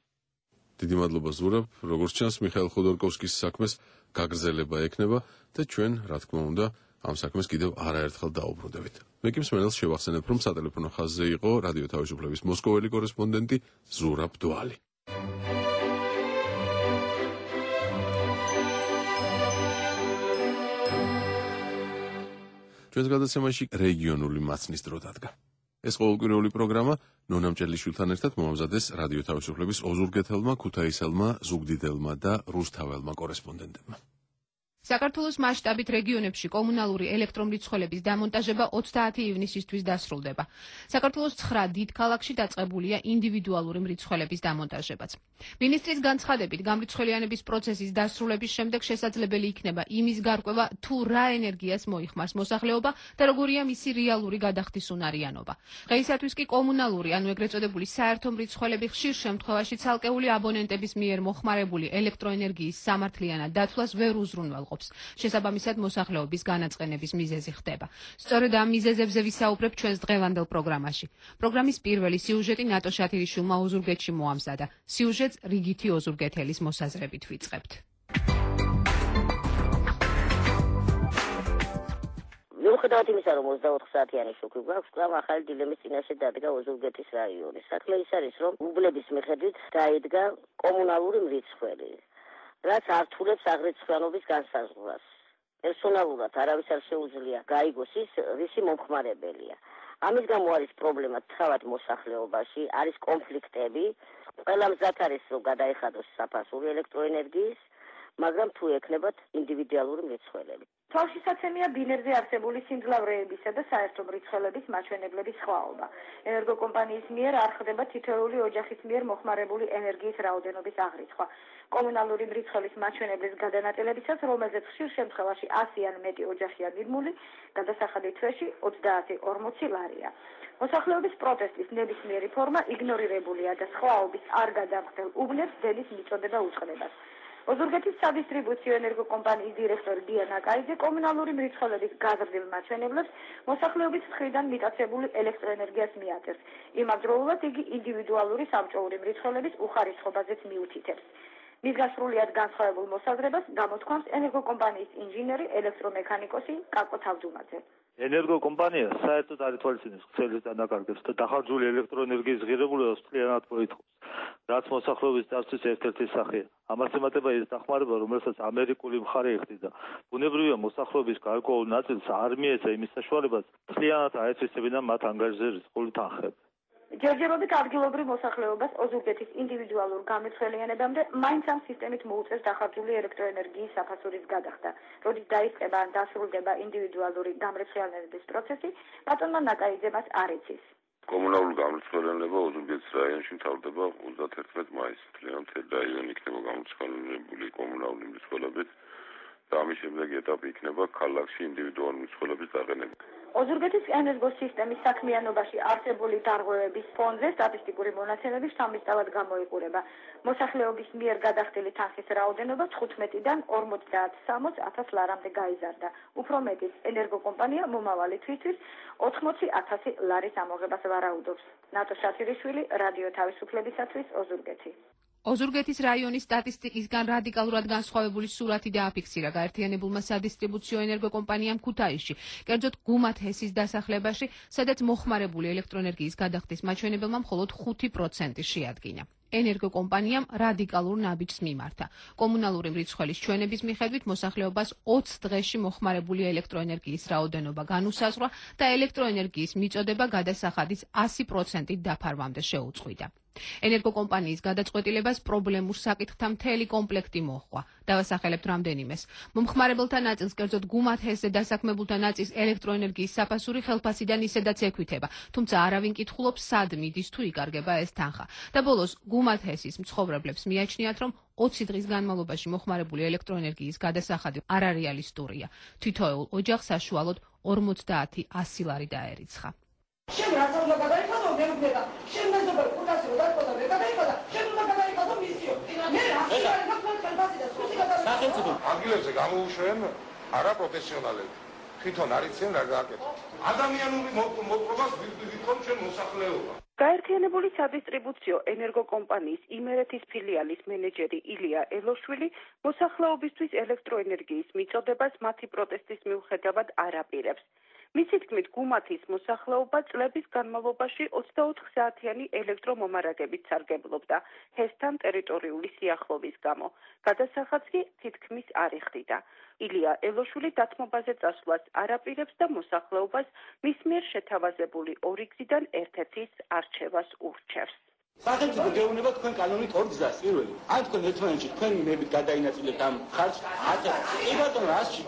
დიდი მადლობა ზურაბ, როგორც ჩანს მიხაილ ხოდორკოვსკის საქმეს გაგრძელება ექნება და ჩვენ, რა თქმა უნდა, ამ საქმეს კიდევ არაერთხელ დაუბრუნდებით. მე კი მსმენელს შევახსენებ, რომ სატელეფონო ხაზზე იყო რადიო თავისუფლების მოსკოველი კორესპონდენტი ზურაბ დვალი. ჩვენს გადაცემაში რეგიონული მაცნის დრო დადგა. ეს ყოველკვირეული პროგრამა ნონა მჭედლიშვილთან ერთად მომამზადეს რადიო თავისუფლების ოზურგეთელმა, ქუთაისელმა, ზუგდიდელმა და რუსთაველმა კორესპონდენტებმა. საქართველოს მასშტაბით რეგიონებში კომუნალური ელექტრომრიცხველების დამონტაჟება 30 ივნისისთვის დასრულდება. საქართველოს 9 დიდ ქალაქში დაწყებულია ინდივიდუალური მრიცხველების დამონტაჟებაც. მინისტრის განცხადებით, გამრიცხველიანების პროცესის დასრულების შემდეგ შესაძლებელი იქნება იმის გარკვევა, თუ რა ენერგიას მოიხმარს მოსახლეობა და როგორია მისი რეალური გადახდის უნარიანობა. დღეისათვის კი კომუნალური, ანუ ეგრეთ წოდებული საერთო მრიცხველები ხშირ შემთხვევაში ცალკეული აბონენტების მიერ მოხმარებული ელექტროენერგიის სამართლიანად დათვლას ვერ უზრუნველყოფს. შესაბამისად მოსახლეობის განაწყენების მიზეზი ხდება. სწორედ ამ მიზეზებზე ვისაუბრებ ჩვენს დღევანდელ პროგრამაში. პროგრამის პირველი სიუჟეტი ნატო შათირიშვილმა ოზურგეთში მოამზადა. სიუჟეტს რიგითი ოზურგეთელის მოსაზრებით ვიწყებთ. მიუხედავად იმისა, რომ 24 საათიანი შუქი გვაქვს, კვლავ ახალი დილემის წინაშე დადგა ოზურგეთის რაიონი. საქმე ის არის, რომ უბლების მიხედვით დაიდგა კომუნალური მრიცხველი, რაც ართულებს აღრიცხვიანობის განსაზღვრას. პერსონალურად არავის არ შეუძლია გაიგოს ის, რისი მომხმარებელია. ამის გამო არის პრობლემა თავად მოსახლეობაში, არის კონფლიქტები, ყველა მზად არის, რომ გადაეხადოს საფასური ელექტროენერგიის, მაგრამ თუ ექნებათ ინდივიდუალური მრიცხველები. თავშესაცემია ბინერზე არსებული სიმძლავრეებისა და საერთო მრიცხველების მაჩვენებლების სხვაობა. ენერგოკომპანიის მიერ არ ხდება თითოეული ოჯახის მიერ მოხმარებული ენერგიის რაოდენობის აღრიცხვა. კომუნალური მრიცხველის მაჩვენებლის გადანაწილებისას, რომელზეც ხშირ შემთხვევაში 100 ან მეტი ოჯახია მიდმული, გადასახადი თვეში 30-40 ლარია. მოსახლეობის პროტესტის ნებისმიერი ფორმა იგნორირებულია და სხვაობის არ გადამხდელ უბნებს დენის მიწოდება უწყლებას. ოზურგეთის სადისტრიბუციო ენერგოკომპანიის დირექტორი დიანა კაიძე კომუნალური მრიცხველების გაზრდილ მაჩვენებლებს მოსახლეობის მხრიდან მიტაცებული ელექტროენერგიას მიაწერს. იმავდროულად იგი ინდივიდუალური სამჭოური მრიცხველების უხარისხობაზეც მიუთითებს. მისგან სრულიად განსხვავებულ მოსაზრებას გამოთქვამს ენერგოკომპანიის ინჟინერი, ელექტრომექანიკოსი კაკო თავდუმაძე. ენერგოკომპანია საერთოდ არ ითვალისწინებს ქსელის დანაკარგებს და დახარჯული ელექტროენერგიის ღირებულებას მთლიანად მოითხოვს, რაც მოსახლეობის დაცვის ერთ-ერთი სახეა. ამას ემატება ის დახმარება, რომელსაც ამერიკული მხარე იხდიდა. ბუნებრივია მოსახლეობის გარკვეულ ნაწილს არ მიეცა იმის საშუალებას მთლიანად აეცვისებინა მათ ანგარიშზე რისკული თანხები. ჯერჯერობით ადგილობრივ მოსახლეობას ოზურგეთის ინდივიდუალურ გამრიცხველიანებამდე მაინც ამ სისტემით მოუწევს დახარჯული ელექტროენერგიის საფასურის გადახდა. როდის დაიწყება ან დასრულდება ინდივიდუალური გამრიცხველიანების პროცესი, ბატონმა ნაკაიძემას არ იცის. კომუნალური გამრიცხველიანება ოზურგეთის რაიონში მთავრდება 31 მაისს. მთლიანი მთელი რაიონი იქნება გამრიცხველებული კომუნალური მრიცხველებით და ამის შემდეგ ეტაპი იქნება ქალაქში ინდივიდუალური მრიცხველების დაყენება. ოზურგეთის ენერგოსისტემის საქმიანობაში არსებული დარღვევების ფონზე სტატისტიკური მონაცემები სამისწავად გამოიყურება. მოსახლეობის მიერ გადახდილი თანხის რაოდენობა 15-დან 50-60 ლარამდე გაიზარდა. უფრო მეტიც, ენერგოკომპანია მომავალი თვისთვის 80,000 ლარის ამოღებას ვარაუდობს. ნატო შათირიშვილი, რადიო თავისუფლებისათვის, ოზურგეთი. ოზურგეთის რაიონის სტატისტიკისგან რადიკალურად განსხვავებული სურათი დააფიქსირა გაერთიანებულმა სადისტრიბუციო ენერგოკომპანიამ ქუთაისში, კერძოდ გუმათ ჰესის დასახლებაში, სადაც მოხმარებული ელექტროენერგიის გადახდის მაჩვენებელმა მხოლოდ 5% შეადგინა. ენერგოკომპანიამ რადიკალურ ნაბიჯს მიმართა. კომუნალური მრიცხველის ჩვენების მიხედვით მოსახლეობას 20 დღეში მოხმარებული ელექტროენერგიის რაოდენობა განუსაზღვრა და ელექტროენერგიის მიწოდება გადასახადის 100%-ით დაფარვამდე შეუწყვიტა. ენერგოკომპანიის გადაწყვეტილებას პრობლემურ საკითხთა მთელი კომპლექტი მოჰყვა. დავასახელებთ რამდენიმეს. მომხმარებელთა ნაწილს, კერძოდ გუმათ ჰესზე დასაქმებულთა ნაწილს ელექტროენერგიის საფასური ხელფასიდან ისედაც ექვითება, თუმცა არავინ კითხულობს, სად მიდის თუ იკარგება ეს თანხა. და ბოლოს გუმათ ჰესის მცხოვრებლებს მიაჩნიათ, რომ 20 დღის განმავლობაში მოხმარებული ელექტროენერგიის გადასახადი არარეალისტურია. თითოეულ ოჯახს საშუალოდ 50-100 ლარი დაერიცხა. შენ რა უნდა გადაიხადო მერუნება შენ მეზობელ კურსზე რომ დაწყვეტა მე გადაიხადა შენ უნდა გადაიხადო მისიო მე რა შეიძლება გაფრთხილებას და სუსტი გადაიხადო სახელმწიფო ადგილებზე გამოუშვენ არაპროფესიონალები თვითონ არიციან რა გააკეთოს. ადამიანური მოპყრობას ვითომ ჩვენ მოსახლეობა. გაერთიანებული სადისტრიბუციო ენერგოკომპანიის იმერეთის ფილიალის მენეჯერი ილია ელოშვილი მოსახლეობისთვის ელექტროენერგიის მიწოდებას მათი პროტესტის მიუხედავად არ აპირებს. მისი თქმით, გუმათის მოსახლეობა წლების განმავლობაში 24 საათიანი ელექტრომომარაგებით სარგებლობდა ჰესთან ტერიტორიული სიახლოვის გამო. გადასახადს კი თითქმის არ იხდიდა. ილია ელოშვილი დათმობაზე წასვლას არ აპირებს და მოსახლეობას მის მიერ შეთავაზებული ორი გზიდან ერთ-ერთის არჩევას ურჩევს. სახელმწიფო გეუბნება თქვენ კანონით ორ გზას. პირველი, ან თქვენ ერთმანეთში თქვენი იმებით გადაინაწილებთ ამ ხარჯს, აწერ. კი ბატონო, რასში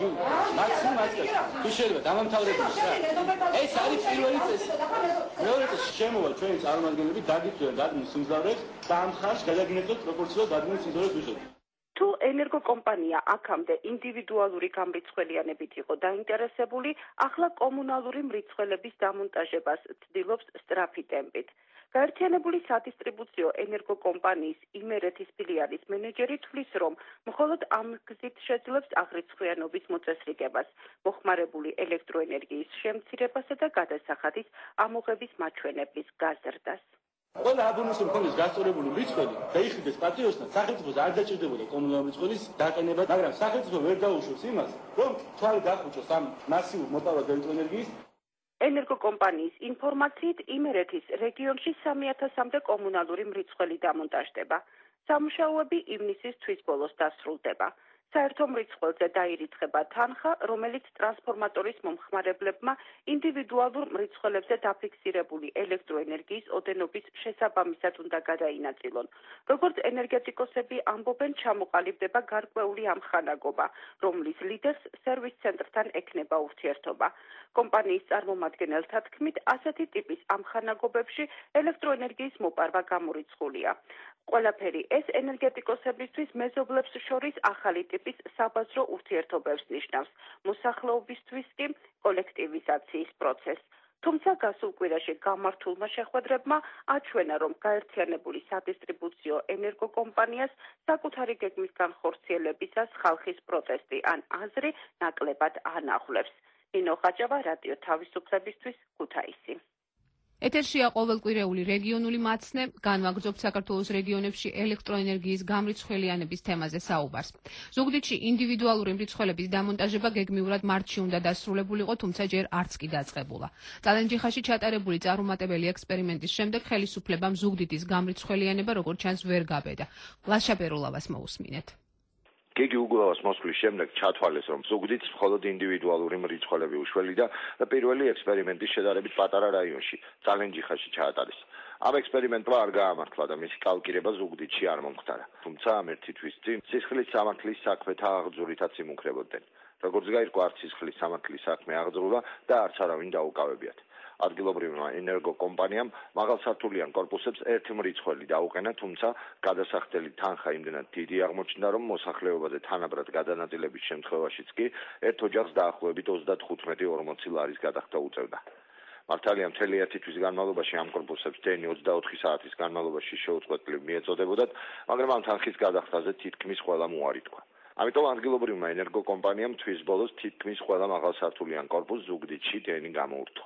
მაქსიმუმ აწერ. თუ შეიძლება დამამთავრებელი რა. ეს არის პირველი წესი. მეორე წესი შემოვა ჩვენი წარმომადგენლები დაგიწვიან დადგმის სიმძლავრეს და ამ ხარჯს გადაგინაწილოთ პროპორციულად დადგმის სიმძლავრეს მიხედვით. თუ ენერგოკომპანია აქამდე ინდივიდუალური გამრიცხველიანებით იყო დაინტერესებული, ახლა კომუნალური მრიცხველების დამონტაჟებას ცდილობს სწრაფი ტემპით. გაერთიანებული სადისტრიბუციო ენერგოკომპანიის იმერეთის ფილიალის მენეჯერი თვლის, რომ მხოლოდ ამ გზით შეძლებს აღრიცხვიანობის მოწესრიგებას, მოხმარებული ელექტროენერგიის შემცირებასა და გადასახადის ამოღების მაჩვენებლის გაზრდას. ყველა აბონენტს მქონდეს გასწორებული მრიცხველი და იხდეს პატიოსთან, სახელმწიფოს არ დაჭირდებოდა კომუნალური მრიცხველის დაყენება, მაგრამ სახელმწიფო ვერ დაუშვებს იმას, რომ თვალი დახუჭოს ამ მასიურ მოპარვად ელექტროენერგიის. ენერგოკომპანიის ინფორმაციით იმერეთის რეგიონში 3000-მდე კომუნალური მრიცხველი დამონტაჟდება. სამუშაოები ივნისის თვის ბოლოს დასრულდება. საერთო მრიცხველზე დაირიცხება თანხა, რომელიც ტრანსფორმატორის მომხმარებლებმა ინდივიდუალურ მრიცხველებზე დაფიქსირებული ელექტროენერგიის ოდენობის შესაბამისად უნდა გადაინაწილონ. როგორც ენერგეტიკოსები ამბობენ, ჩამოყალიბდება გარკვეული ამხანაგობა, რომლის ლიდერს სერვის ცენტრთან ექნება ურთიერთობა. კომპანიის წარმომადგენელთა თქმით, ასეთი ტიპის ამხანაგობებში ელექტროენერგიის მოპარვა გამორიცხულია. ყველაფერი ეს ენერგეტიკოსებისთვის მეზობლებს შორის ახალი ტიპის საბაზრო ურთიერთობებს ნიშნავს, მოსახლეობისთვის კი კოლექტივიზაციის პროცესს. თუმცა გასულ კვირაში გამართულმა შეხვედრებმა აჩვენა, რომ გაერთიანებული სადისტრიბუციო ენერგოკომპანიას საკუთარი გეგმის განხორციელებისას ხალხის პროტესტი ან აზრი ნაკლებად ანაღვლებს. ნინო ხაჭავა, რადიო თავისუფლებისთვის, ქუთაისი. ეთერშია ყოველკვირეული რეგიონული მაცნე, განვაგრძობთ საქართველოს რეგიონებში ელექტროენერგიის გამრიცხველიანების თემაზე საუბარს. ზუგდიდში ინდივიდუალური მრიცხველების დამონტაჟება გეგმიურად მარტში უნდა დასრულებულიყო, თუმცა ჯერ არც კი დაწყებულა. წალენჯიხაში ჩატარებული წარუმატებელი ექსპერიმენტის შემდეგ ხელისუფლებამ ზუგდიდის გამრიცხველიანება როგორც ჩანს ვერ გაბედა. ლაშა პერულავას მოусმინეთ. გიგი უგულავას მოსვლის შემდეგ ჩათვალეს, რომ ზუგდიდს მხოლოდ ინდივიდუალური მრიცხველები უშველიდა და პირველი ექსპერიმენტი შედარებით პატარა რაიონში, წალენჯიხაში ჩაატარეს. ამ ექსპერიმენტმა არ გაამართლა და მისი კალკირება ზუგდიდში არ მომხდარა. თუმცა ამ ერთი თვის წინ სისხლის სამართლის საქმეთა აღძურითაც იმუქრებოდნენ. როგორც გაირკვა, არც სისხლის სამართლის საქმე აღძრულა და არც არავინ დაუკავებიათ. ადგილობრივმა ენერგოკომპანიამ მაღალსართულიან კორპუსებს ერთი მრიცხველი დაუყენა, თუმცა გადასახდელი თანხა იმდენად დიდი აღმოჩნდა, რომ მოსახლეობაზე თანაბრად გადანაწილების შემთხვევაშიც კი ერთ ოჯახს დაახლოებით 35-40 ლარის გადახდა უწევდა. მართალია მთელი ერთი თვის განმავლობაში ამ კორპუსებს დენი 24 საათის განმავლობაში შეუწყვეტლივ მიეწოდებოდათ, მაგრამ ამ თანხის გადახდაზე თითქმის ყველა უარი თქვა. ამიტომ ადგილობრივმა ენერგოკომპანიამ თვის ბოლოს თითქმის ყველა მაღალსართულიან კორპუსს ზუგდიდში დენი გამოურთო.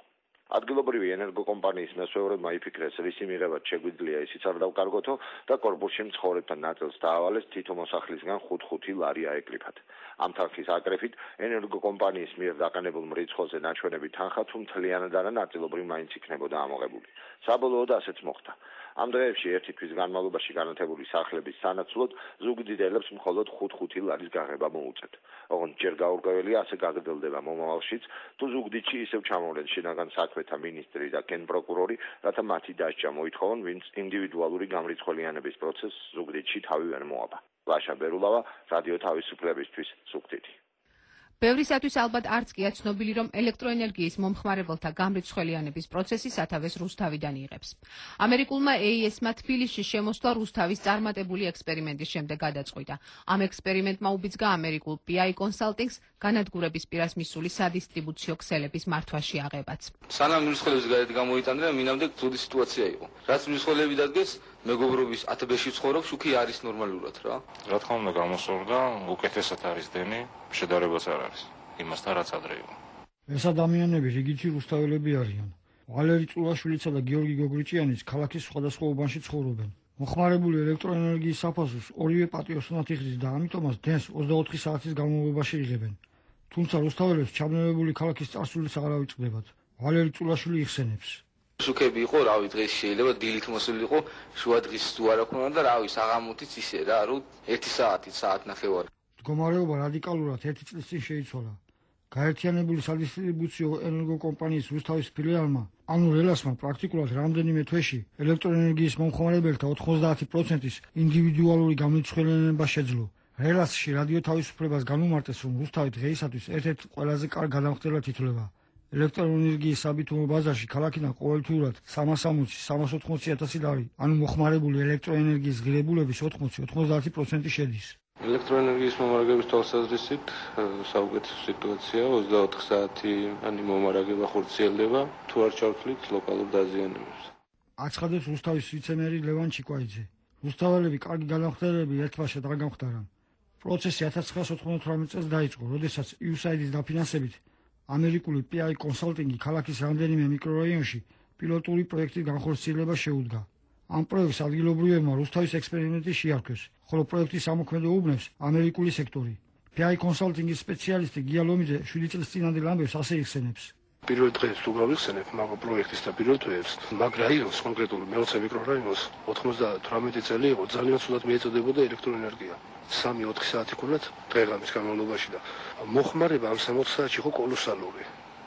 ადგილობრივი ენერგოკომპანიის მესვეურებმა იფიქრეს, რისი მიღებაც შეგვიძლია ისიც არ დავკარგოთო და კორპუსში მცხოვრებთან ნაწილს დაავალეს თითო მოსახლისგან 5-5 ლარი აეკრიფათ. ამ თანხის აკრეფით ენერგოკომპანიის მიერ დაყენებულ მრიცხველზე ნაჩვენები თანხა თუ მთლიანად არა ნაწილობრივ მაინც იქნებოდა ამოღებული. საბოლოოდ ასეც მოხდა. ამ დღეებში ერთი თვის განმავლობაში განათებული სახლების სანაცვლოდ ზუგდიდელებს მხოლოდ 5-5 ლარის გაღება მოუწევთ. ოღონდ ჯერ გაურკვეველია ასე გაგრძელდება მომავალშიც, თუ ზუგდიდში ისევ ჩამოვლენ შინაგან საქმეთა მინისტრი და გენპროკურორი, რათა მათი დასჯა მოითხოვონ, ვინც ინდივიდუალური გამრიცხველიანების პროცესს ზუგდიდში თავი ვერ მოაბა. ლაშა ბერულავა, რადიო თავისუფლებისთვის, ზუგდიდი. ბევრისათვის ალბათ არც კია ცნობილი, რომ ელექტროენერგიის მომხმარებელთა გამრიცხველიანების პროცესი სათავეს რუსთავიდან იღებს. ამერიკულმა AES-მა თბილისში შემოსვლა რუსთავის წარმატებული ექსპერიმენტის შემდეგ გადაწყვიტა. ამ ექსპერიმენტმა უბიძგა ამერიკულ PI Consulting-ს განადგურების პირას მისული სადისტრიბუციო ქსელების მართვაში აღებაც. სანამ მრიცხველების გარეთ გამოიტანდა, მინამდე ძუდი სიტუაცია იყო. რაც მრიცხველები დადგეს, მეგობრობის 1000-ში ცხოვრობს, უკი არის ნორმალურად რა. რა თქმა უნდა, გამოსწორდა, უკეთესად არის დენი, შედარებაც არ არის იმასთან, რაც ადრე იყო. ეს ადამიანები რიგითი რუსთაველები არიან. ვალერი წულაშვილიცა და გიორგი გოგრიჭიანიც ქალაქის სხვადასხვა უბანში ცხოვრობენ. მოხმარებული ელექტროენერგიის საფასურს ორივე პატიოსნად იხდის და ამიტომაც დენს 24 საათის განმავლობაში იღებენ. თუმცა რუსთაველებს ჩაბნელებული ქალაქის წარსულიც არ ავიწყდებათ. ვალერი წულაშვილი იხსენებს. სუქები იყო, რავი, დღეს შეიძლება დილით მოსული იყო, შუა დღის თუ არ აქვს და რავი, საღამოთიც ისე რა, რომ 1 საათი, საათნახევარი. მდგომარეობა რადიკალურად 1 წლის წინ შეიცვალა. გაერთიანებული სადისტრიბუციო ენერგოკომპანიის რუსთავის ფილიალმა, ანუ რელასმა პრაქტიკულად რამდენიმე თვეში ელექტროენერგიის მომხმარებელთა 90%-ის ინდივიდუალური გამომცემლობა შეძლო. რელასში რადიო თავისუფლებას განუმარტეს, რომ რუსთავი დღეისათვის ერთ-ერთ ყველაზე კარგ გადამხდელად ითვლება. ელექტროენერგიის საბიტუმო ბაზარში ქალაქიდან ყოველთვიურად 360-380 ლარი, ანუ მოხმარებული ელექტროენერგიის ღირებულების 80-90% შედის. ელექტროენერგიის მომარაგების თვალსაზრისით საუკეთესო სიტუაცია 24 საათიანი მომარაგება ხორციელდება, თუ არ ჩავთვლით ლოკალურ დაზიანებებს. აცხადებს რუსთავის ვიცე-მერი ლევან ჩიკვაიძე. რუსთაველები კარგი განახორციელებები ერთბაშად არ გამხდარა. პროცესი 1998 წელს დაიწყო, როდესაც USAID-ის დაფინანსებით ამერიკული PI კონსალტინგი ქალაქის რამდენიმე მიკრორაიონში პილოტური პროექტის განხორციელება შეუდგა. ამ პროექტს ადგილობრივებმა რუსთავის ექსპერიმენტი შეარქვეს, ხოლო პროექტის ამოქმედო უბნებს ამერიკული სექტორი. PI კონსალტინგის სპეციალისტი გია ლომიძე 7 წლის წინანდელ ამბებს ასე იხსენებს. პირველ დღეს თუ გავიხსენებ მაგ პროექტის და პირველ თვეებს, მაგ რაიონს კონკრეტული მე-20 მიკრორაიონს 98 წელი იყო ძალიან ცუდად მიეწოდებოდა ელექტროენერგია. 3-4 საათი ქონდათ დღე-ღამის განმავლობაში და მოხმარება ამ 60 საათში იყო კოლოსალური.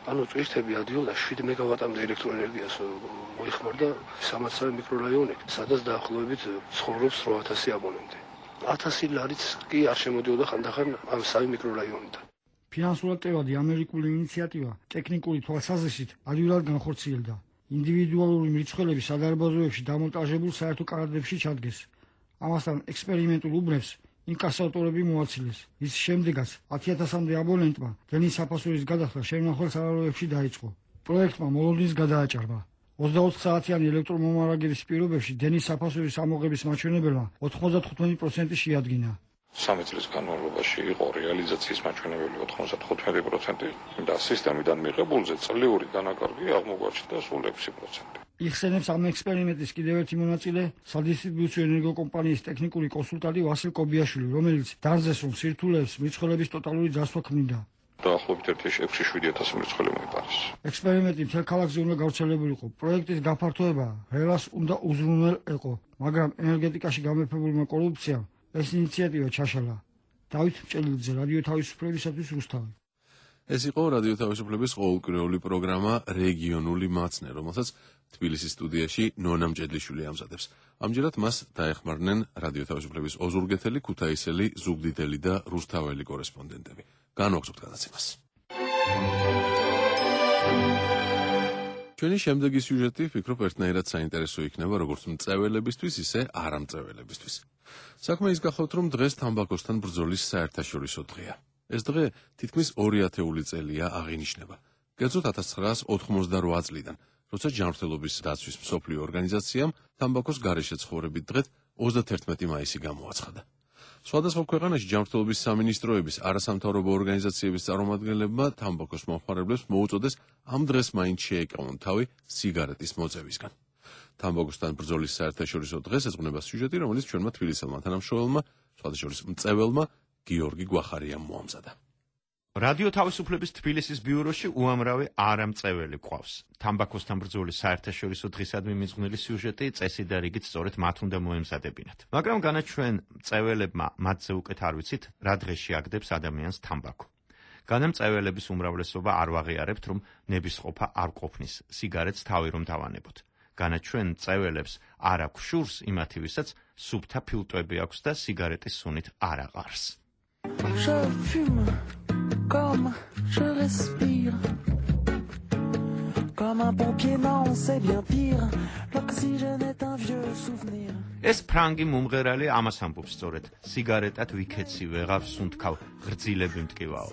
ანუ წვირთები ადიოდა 7 მეგავატამდე ელექტროენერგიას მოიხმარდა 300 მიკრორაიონი, სადაც დაახლოებით ცხოვრობს 8000 აბონენტი. 1000 ლარიც კი არ შემოდიოდა ხანდახან ამ 3 მიკრორაიონიდან. ფინანსურად ტევადი ამერიკული ინიციატივა ტექნიკური თვალსაზრისით ადვილად განხორციელდა. ინდივიდუალური მრიცხველების სადარბაზოებში დამონტაჟებულ საერთო კარადებში ჩადგეს. ამასთან ექსპერიმენტულ უბნებს ინკასატორები მოაცილეს. ის შემდეგაც 10000-მდე აბონენტმა დენის საფასურის გადახდა შემნახვალ სარაიონებში დაიწყო. პროექტმა მოლოდინს გადააჭარბა. 24 საათიანი ელექტრომომარაგების პირობებში დენის საფასურის ამოღების მაჩვენებელმა 95% შეადგინა. 3 წლის განმავლობაში იყო რეალიზაციის მაჩვენებელი 95% და სისტემიდან მიღებულზე წლიური დანაკარგი აღმოგვაჩნდა სულ 6%. იხსენებს ამ ექსპერიმენტის კიდევ ერთი მონაწილე, სადისტრიბუციო ენერგოკომპანიის ტექნიკური კონსულტანტი ვასილ კობიაშვილი, რომელიც დარწეს, რომ სირთულეებს მრიცხველების ტოტალური ძასვა ქმნიდა. დაახლოებით 6-7 მრიცხელი მოიპარეს. ექსპერიმენტი მთელ ქალაქზე უნდა გავრცელებულიყო. პროექტის გაფართოება რელას უნდა უზრუნველყო, მაგრამ ენერგეტიკაში გამეფებულმა კორუფციამ ეს ინიციატივა ჩაშალა. დავით მჭელიძე, რადიო თავისუფლებისათვის რუსთავი. ეს იყო რადიო თავისუფლების ყოველკვირეული პროგრამა რეგიონული მაცნე, რომელსაც თბილისის სტუდიაში ნონა მჭედლიშვილი ამზადებს. ამჯერად მას დაეხმარნენ რადიო თავისუფლების ოზურგეთელი, ქუთაისელი, ზუგდიდელი და რუსთაველი კორესპონდენტები. განვაგრძობთ გადაცემას. ჩვენი შემდეგი სიუჟეტი ვფიქრობ ერთნაირად საინტერესო იქნება როგორც მწვეველებისთვის, ისე არამწვეველებისთვის. საქმე ის გახლავთ, რომ დღეს თამბაქოსთან ბრძოლის საერთაშორისო დღეა. ეს დღე თითქმის 200 წელია აღინიშნება. კერძოდ 1988 წლიდან, როცა ჯანმრთელობის დაცვის მსოფლიო ორგანიზაციამ თამბაქოს გარეშე ცხოვრებით დღედ 31 მაისი გამოაცხადა. სხვადასხვა ქვეყანაში ჯანმრთელობის სამინისტროების არასამთავრობო ორგანიზაციების წარმომადგენლებმა თამბაქოს მომხმარებლებს მოუწოდეს ამ დღეს მაინც შეეკავონ თავი სიგარეტის მოწევისგან. თამბაქოსთან ბრძოლის საერთაშორისო დღეს ეძღვნება სიუჟეტი, რომელიც ჩვენმა თბილისელმა თანამშრომელმა, სხვადასხვა მწვეველმა გიორგი გვახარიამ მოამზადა. რადიო თავისუფლების თბილისის ბიუროში უამრავი არამწვეველი გვყავს. თამბაქოსთან ბრძოლის საერთაშორისო დღისადმი მიძღვნილი სიუჟეტი წესი და რიგით სწორედ მათ უნდა მოემზადებინათ. მაგრამ განაჩვენ მწვეველებმა მათზე უკეთ არ ვიცით, რა დღეში აგდებს ადამიანს თამბაქო. განამწვეველების უმრავლესობა არ ვაღიარებთ, რომ ნებისყოფა არ ყოფნის სიგარეტს თავი რომ დავანებოთ. განაჩვენ მწვეველებს არ აქვს შურს იმათი, ვისაც სუფთა ფილტვები აქვს და სიგარეტის სუნით არ აყარს. Je fume comme je respire. Comme un pompier, non, c'est bien pire. Lorsque ეს ფრანგი მომღერალი ამას ამბობს სწორედ, სიგარეტად ვიქეცი ვეღარ სუნთქავ, ღრძილები მტკივაო.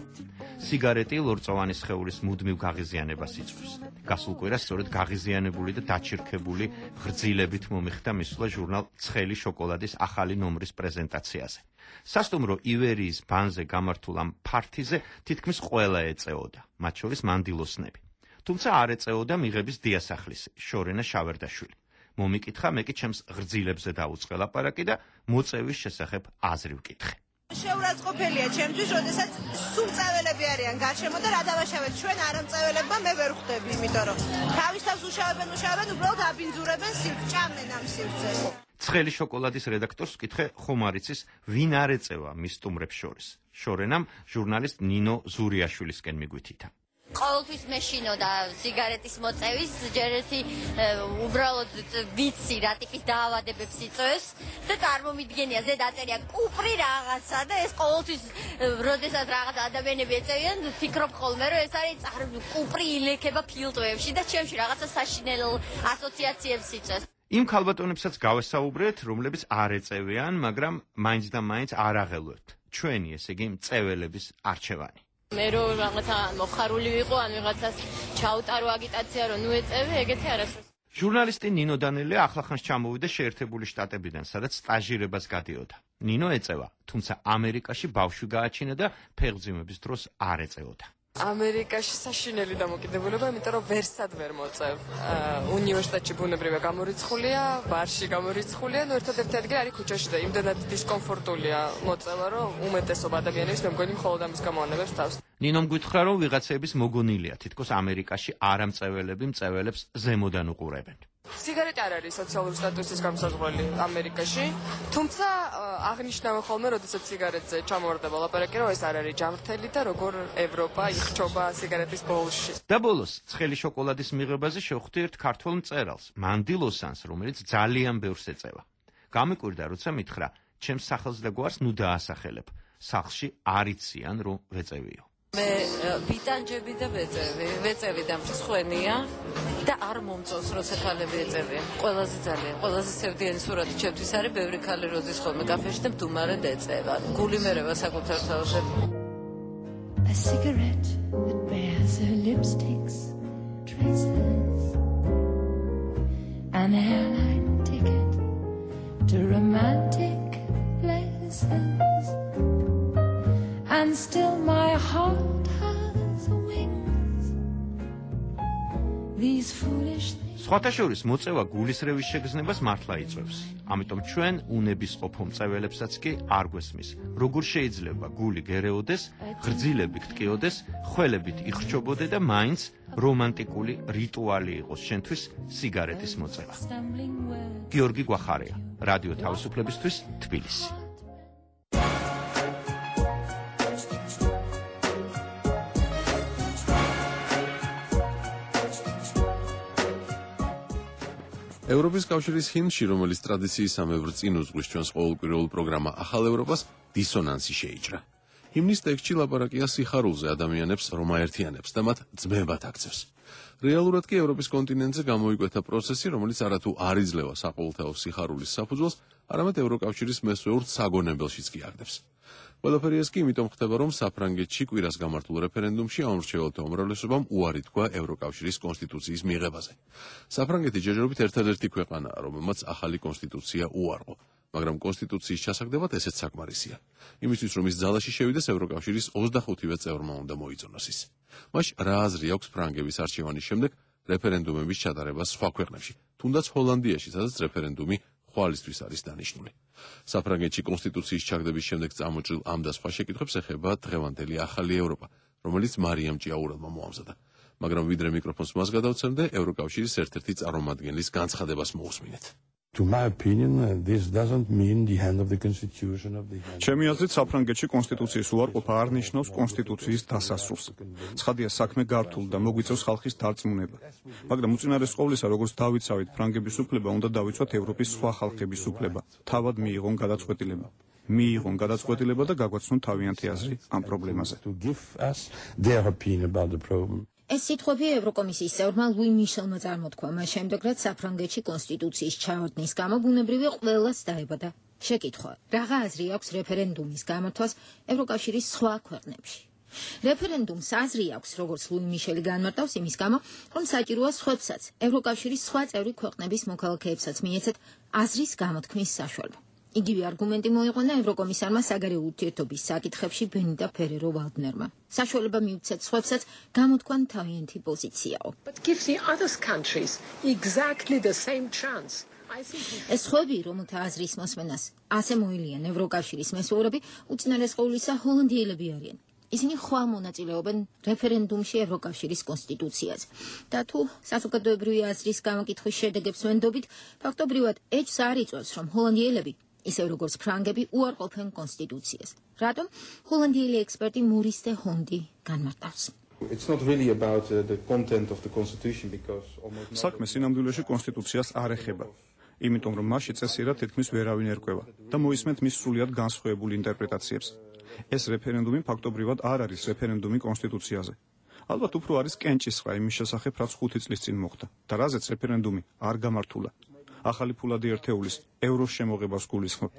სიგარეტი ლორწოვანი სხეულის მუდმივ გაღიზიანებას იწვევს. გასულ კვირას სწორედ გაღიზიანებული და დაჩირქებული ღრძილებით მომიხდა მისვლა ჟურნალ ცხელი შოკოლადის ახალი ნომრის პრეზენტაციაზე. სასტუმრო ივერიის ბანზე გამართულ ამ ფართიზე თითქმის ყველა ეწეოდა, მათ შორის მანდილოსნები. თუმცა არ ეწეოდა მიღების დიასახლისი, შორენა შავერდაშვილი. მომიკითხა, მე კი ჩემს ღრძილებზე დაუწყე ლაპარაკი და მოწევის შესახებ აზრი ვკითხე. შეურაცხყოფელია ჩემთვის, როდესაც სულ წაველები არიან გარშემო და რა დავაშავეთ ჩვენ არამწაველებმა მე ვერ ხვდები, იმიტომ რომ თავის თავს უშავებენ, უბრალოდ აბინძურებენ სივრცეს, ჭამენ ამ სივრცეს. ცხელი შოკოლადის რედაქტორს ვკითხე, ხომ არ იცის, ვინ არ ეწევა მის სტუმრებს შორის. შორენამ ჟურნალისტ ნინო ზურიაშვილისკენ მიგვითითა. ყოველთვის მეშინო და სიგარეტის მოწევის ჯერ ერთი უბრალოდ ვიცი რა ტიპის დაავადებებს იწვევს და წარმომიდგენია ზე დაწერია კუპრი რაღაცა და ეს ყოველთვის როდესაც რაღაც ადამიანები ეწევიან ფიქრობ ხოლმე რომ ეს არის კუპრი ილექება ფილტვებში და ჩემში რაღაცა საშინელ ასოციაციებს იწვევს. იმ ქალბატონებსაც გავესაუბრეთ, რომლებიც არ ეწევიან, მაგრამ მაინც და მაინც არ აღელვებთ. ჩვენი, ესე იგი, მწეველების არჩევანი. მე რომ რაღაცა მოხარული ვიყო, ან ვიღაცას ჩაუტარო აგიტაცია, რომ ნუ ეწევი, ეგეთი არასდროს. ჟურნალისტი ნინო დანელია ახლახანს ჩამოვიდა შეერთებული შტატებიდან, სადაც სტაჟირებას გადიოდა. ნინო ეწევა, თუმცა ამერიკაში ბავშვი გააჩინა და ფეხმძიმების დროს არ ეწეოდა. ამერიკაში საშინელი დამოკიდებულება, იმიტომ რომ ვერსად ვერ მოწევ. უნივერსიტეტში ბუნებრივია გამორიცხულია, ბარში გამორიცხულია, ნუ ერთადერთი ადგილი არის ქუჩაში და იმდენად დისკომფორტულია მოწევა, რომ უმეტესობა ადამიანების მე მგონი მხოლოდ ამის გამო თავს. ნინომ გითხრა, რომ ვიღაცების მოგონილია, თითქოს ამერიკაში არამწეველები მწეველებს ზემოდან უყურებენ. სიგარეტი არ არის სოციალური სტატუსის გამოსაზღვრელი ამერიკაში, თუმცა აღნიშნავენ ხოლმე, როდესაც სიგარეტზე ჩამოვარდება ლაპარაკი, რომ ეს არ არის ჯამრთელი და როგორ ევროპა იხჩობა სიგარეტის ბოლოში. და ბოლოს, ცხელი შოკოლადის მიღებაზე შევხვდი ერთ ქართველ მწერალს, მანდილოსანს, რომელიც ძალიან ბევრს ეწევა. გამიკვირდა, როცა მითხრა, ჩემს სახელს და გვარს ნუ დაასახელებ. სახლში არ იციან, რომ ვეწევიო. მე ვიტანჯები და ვეწევი და მსხვენია და არ მომწონს როცა ქალები ეწევიან. ყველაზე სევდიანი სურათი ჩემთვის არის ბევრი ქალი როზის ხოლმე კაფეში და მდუმარედ ეწევა. გული მერევა საკუთარ თავზე. A cigarette that bears her lipstick's traces, an airline ticket to romantic places, and still my heart has wings. These foolish things. სხვათა შორის მოწევა გულისრევის შეგრძნებას მართლა იწვევს. ამიტომ ჩვენ უნებისყოფო მწეველებსაც კი არ გვესმის, როგორ შეიძლება გული გერეოდეს, ღრძილები გტკიოდეს, ხველებით იხრჩობოდე და მაინც რომანტიკული რიტუალი იყოს შენთვის სიგარეტის მოწევა. გიორგი გვახარია, რადიო თავისუფლებისთვის, თბილისი. ევროპის კავშირის ჰიმნში, რომელიც ტრადიციისამებრ წინ უძღვის ჩვენს ყოველკვირეულ პროგრამა ახალ ევროპას, დისონანსი შეიჭრა. ჰიმნის ტექსტში ლაპარაკია სიხარულზე ადამიანებს, რომ აერთიანებს და მათ ძმებად აქცევს. რეალურად კი ევროპის კონტინენტზე გამოიკვეთა პროცესი, რომელიც არათუ არ იძლევა საყოველთაო სიხარულის საფუძველს, არამედ ევროკავშირის მესვეურთ საგონებელშიც კი აგდებს. ყველაფერი ეს კი იმიტომ ხდება, რომ საფრანგეთში კვირას გამართულ რეფერენდუმში ამორჩეველთა უმრავლესობამ უარი თქვა ევროკავშირის კონსტიტუციის მიღებაზე. საფრანგეთი ჯერჯერობით ერთადერთი ქვეყანაა, რომელმაც ახალი კონსტიტუცია უარყო, მაგრამ კონსტიტუციის ჩასაგდებად ესეც საკმარისია. იმისთვის, რომ ის ძალაში შევიდეს, ევროკავშირის 25-ვე წევრმა უნდა მოიწონოს ის. მაშ რა აზრი აქვს ფრანგების არჩევანის შემდეგ რეფერენდუმების ჩატარებას სხვა ქვეყნებში, თუნდაც ჰოლანდიაში, სადაც რეფერენდუმი ხვალისთვის არის დანიშნული. საფრანგეთში კონსტიტუციის ჩაგდების შემდეგ წამოჭრილ ამ და სხვა შეკითხვებს ეხება დღევანდელი ახალი ევროპა, რომელიც მარიამ ჭიაურელმა მოამზადა. მაგრამ ვიდრე მიკროფონს მას გადავცემდე, ევროკავშირის ერთ-ერთი წარმომადგენლის განცხადებას მოусმინეთ. To my opinion, this doesn't mean the end of the constitution of the ჩემი აზრით, საფრანგეთში კონსტიტუციის უარყოფა არ ნიშნავს კონსტიტუციის დასასრულს. ცხადია, საქმე გართულ და მოგვიწევს ხალხის დარწმუნება. მაგრამ უწინარეს ყოვლისა, როგორც დავიცავით ფრანგების უფლება, უნდა დავიცვათ ევროპის სხვა ხალხების უფლება. თავად მიიღონ გადაწყვეტილება და გაგვაცნონ თავიანთი აზრი ამ პრობლემაზე. To give us their opinion about the problem. ეს სიტყვები ევროკომისიის წევრმა ლუი მიშელმა წარმოთქვა მას შემდეგ, რაც საფრანგეთში კონსტიტუციის ჩავარდნის გამო ბუნებრივია ყველას დაებადა შეკითხვა, რაღა აზრი აქვს რეფერენდუმის გამართვას ევროკავშირის სხვა ქვეყნებში. რეფერენდუმს აზრი აქვს, როგორც ლუი მიშელი განმარტავს, იმის გამო, რომ საჭიროა სხვებსაც, ევროკავშირის სხვა წევრი ქვეყნების მოქალაქეებსაც მიეცეთ აზრის გამოთქმის საშუალება. იგივე არგუმენტი მოიყვანა ევროკომისარმა საგარეო ურთიერთობის საკითხებში ბენიტა ფერერო ვალდნერმა. საშუალება მიუცეთ სხვებსაც გამოთქვან თავიანთი პოზიციაო. ეს სხვები, რომელთა აზრის მოსმენას ასე მოილიან ევროკავშირის მესვეურები, უწინარესყოვლისა ჰოლანდიელები არიან. ისინი ხვალ მონაწილეობენ რეფერენდუმში ევროკავშირის კონსტიტუციაზე. და თუ საზოგადოებრივი აზრის გამოკითხვის შედეგებს ვენდობით, ფაქტობრივად ეჭვს არ იწვევს, რომ ჰოლანდიელები ისე როგორც ფრანგები უარყოფენ კონსტიტუციას. რატომ? ჰოლანდიელი ექსპერტი მურის დე ჰონდი განმარტავს. საქმე სინამდვილეში კონსტიტუციას არ ეხება, იმიტომ რომ მასში წესიერად თითქმის ვერავინ ერკვევა და მოისმენთ მის სრულიად განსხვავებულ ინტერპრეტაციებს. ეს რეფერენდუმი ფაქტობრივად არ არის რეფერენდუმი კონსტიტუციაზე. ალბათ უფრო არის კენჭისყრა იმის შესახებ, რაც 5 წლის წინ მოხდა და რაზეც რეფერენდუმი არ გამართულა. ახალი ფულადი ერთეულის ევროს შემოღებას გულისხმობ.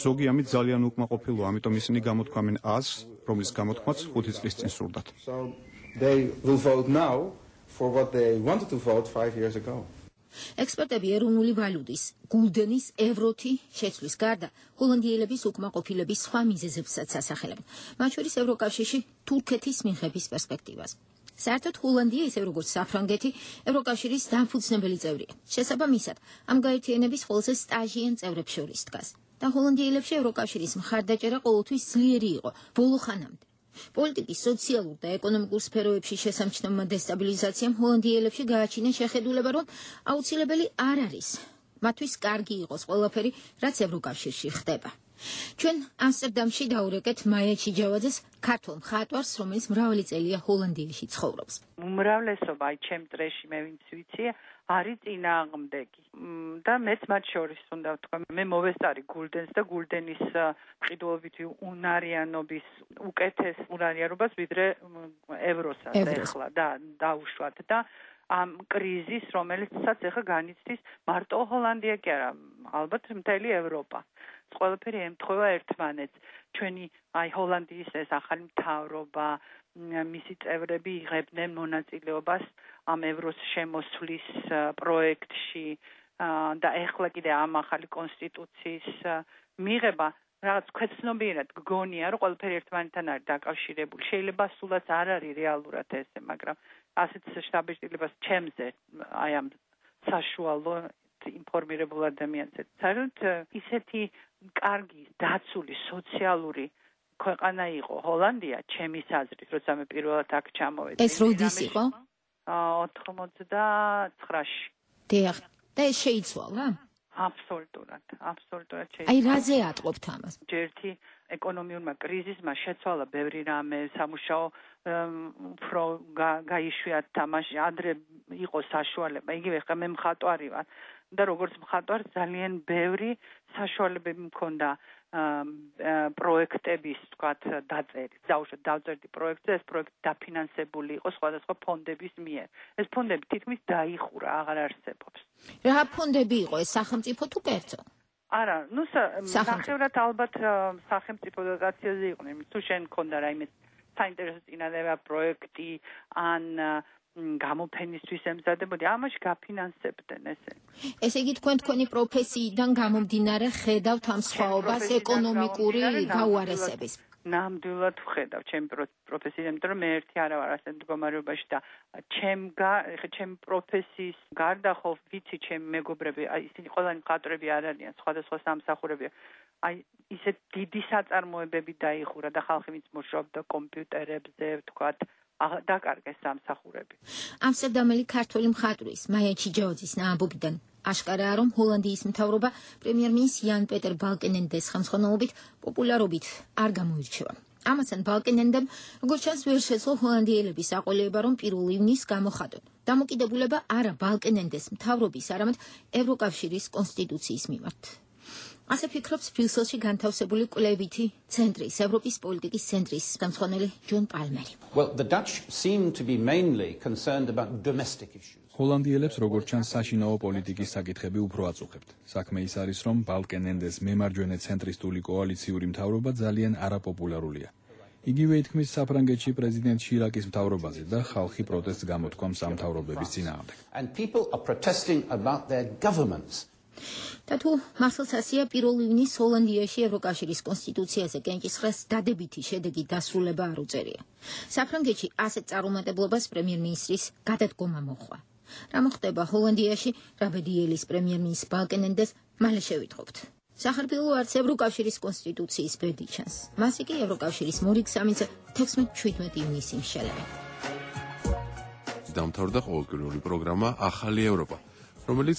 ზოგი ამით ძალიან უკმაყოფილოა, ამიტომ ისინი გამოთქვამენ აზრს, რომლის გამოთქმაც 5 წლის წინ სურდათ. ექსპერტები ეროვნული ვალუტის, გულდენის, ევროთი შეცვლის გარდა ჰოლანდიელების უკმაყოფილების სხვა მიზეზებსაც ასახელებენ, მათ შორის ევროკავშირში თურქეთის მიღების პერსპექტივას. საერთოდ ჰოლანდია, ისე როგორც საფრანგეთი, ევროკავშირის დამფუძნებელი წევრია. შესაბამისად, ამ გაერთიანების ყველაზე სტაჟიან წევრებს შორის დგას. და ჰოლანდიელებში ევროკავშირის მხარდაჭერა ყოველთვის ძლიერი იყო, ბოლო ხანამდე. პოლიტიკის, სოციალურ და ეკონომიკურ სფეროებში შესამჩნევმა დესტაბილიზაციამ ჰოლანდიელებში გააჩინა შეხედულება, რომ აუცილებელი არ არის. მათთვის კარგი იყოს ყველაფერი, რაც ევროკავშირში ხდება. ჩვენ ამსტერდამში დაურეკეთ მაია ჩიჯავაძეს, ქართველ მხატვარს, რომელიც მრავალი წელია ჰოლანდიაში ცხოვრობს. უმრავლესობა აი ჩემ წრეში მე ვინც ვიცი, არის წინააღმდეგი. და მეც მათ შორის უნდა ვთქვა, მე მოვესწარი გულდენს და გულდენის მყიდველობითი უნარიანობის უკეთეს უნარიანობას ვიდრე ევროსაც ეხლა და დაუშვათ და ამ კრიზის, რომელიცაც ეხლა განიცდის მარტო ჰოლანდია კი არა, ალბათ მთელი ევროპა. ყველაფერი ემთხვევა ერთმანეთს. ჩვენი აი ჰოლანდიის ეს ახალი მთავრობა, მისი წევრები იღებდნენ მონაწილეობას ამ ევროს შემოსვლის პროექტში და ეხლა კიდე ამ ახალი კონსტიტუციის მიღება რაღაც ქვეცნობიერად გგონია, რომ ყველაფერი ერთმანეთთან არის დაკავშირებული. შეიძლება სულაც არ არის რეალურად ესე, მაგრამ ასეთ შთაბეჭდილებას ჩემზე აი ამ საშუალო ინფორმირებულ ადამიანზე. საერთოდ ისეთი კარგი, დაცული, სოციალური ქვეყანა იყო ჰოლანდია, ჩემის აზრით, როცა მე პირველად აქ ჩამოვედი. ეს როდის იყო? 89-ში. დიახ, და ეს შეიცვალა? აბსოლუტურად შეიცვალა. აი რაზე ატყობთ ამას? ერთი ეკონომიურმა კრიზისმა შეცვალა ბევრი რამე, სამუშაო უფრო გაიშვიათ თამაში, ადრე იყო საშუალება. იგივე ხა მე მხატვარი ვარ და როგორც მხატვარ ძალიან ბევრი საშუალებები მქონდა პროექტების, თქვათ, დაწერის. დაუშვათ დავწერდი პროექტზე, ეს პროექტი დაფინანსებული იყო სხვადასხვა ფონდების მიერ. ეს ფონდები თითქმის დაიხურა, აღარ არსებობს. რა ფონდები იყო ეს, სახელმწიფო თუ კერძო? არა, ნუ ნახევრად ალბათ სახელმწიფო დოტაციაზე იყვნენ, თუ შენ მქონდა რაიმე საინტერესო წინადადება პროექტი ან გამოფენისთვის ემზადებოდი, ამაში გაფინანსებდნენ ესე. ესე იგი თქვენი პროფესიიდან გამომდინარე ხედავთ ამ სხვაობას ეკონომიკური გაუარესების. ნამდვილად ვხედავ ჩემი პროფესიიდან, იმიტომ რომ მე ერთი არა ვარ ასეთ მდგომარეობაში და ჩემ პროფესიის გარდა ხო ვიცი ჩემი მეგობრები, აი ისინი ყველანი მხატვრები არ არიან, სხვადასხვა სამსახურებია. აი ისეთ დიდი საწარმოებები დაიხურა და ხალხი ვინც მუშაობდა კომპიუტერებზე, ვთქვათ, დაკარგეს სამსახურები. ამსტერდამელი ქართველი მხატვრის მაია ჩიჯავაძის ამბობიდან აშკარაა, რომ ჰოლანდიის მთავრობა პრემიერ-მინისტრ იან პეტერ ბალკენენდეს ხელმძღვანელობით პოპულარობით არ გამოირჩევა. ამასთან ბალკენენდემ, როგორც ჩანს, ვერ შეძლო ჰოლანდიელების აყოლება, რომ 1 ივნისს გამოხადონ დამოკიდებულება არა ბალკენენდეს მთავრობის, არამედ ევროკავშირის კონსტიტუციის მიმართ. ასე ფიქრობს ბრიუსელში განთავსებული კვლევითი ცენტრის, ევროპის პოლიტიკის ცენტრის ხელმძღვანელი ჯონ პალმერი. Well, the Dutch seem to be mainly concerned about domestic issues. ჰოლანდიელებს როგორც ჩანს საშინაო პოლიტიკის საკითხები უფრო აწუხებთ. საქმე ის არის, რომ ბალკენენდეს მემარჯვენე ცენტრისტული კოალიციური მთავრობა ძალიან არაპოპულარულია. იგივე ითქმის საფრანგეთში პრეზიდენტ შირაკის მთავრობაზე და ხალხი პროტესტს გამოთქვამს ამ მთავრობების წინააღმდეგ. And people are protesting about their governments. და თუ მართლაც ასეა, 1 ივნისს ჰოლანდიაში ევროკავშირის კონსტიტუციაზე კენჭისყრას დადებითი შედეგი დასრულება არ უწერია. საფრანგეთში ასეთ წარუმატებლობას პრემიერ-მინისტრის გადადგომა მოჰყვა. რა მოხდება ჰოლანდიაში, რაბედიელის პრემიერ-მინისტრ ბალკენენდეს მალე შევიტყობთ. სახარბილო არც ევროკავშირის კონსტიტუციის ბედი ჩანს. მას იგი ევროკავშირის მორიგ სამინისტრო 16-17 ივნისს იმშელებენ. დამთავრდა ყოველკვირეული პროგრამა ახალი ევროპა, რომელიც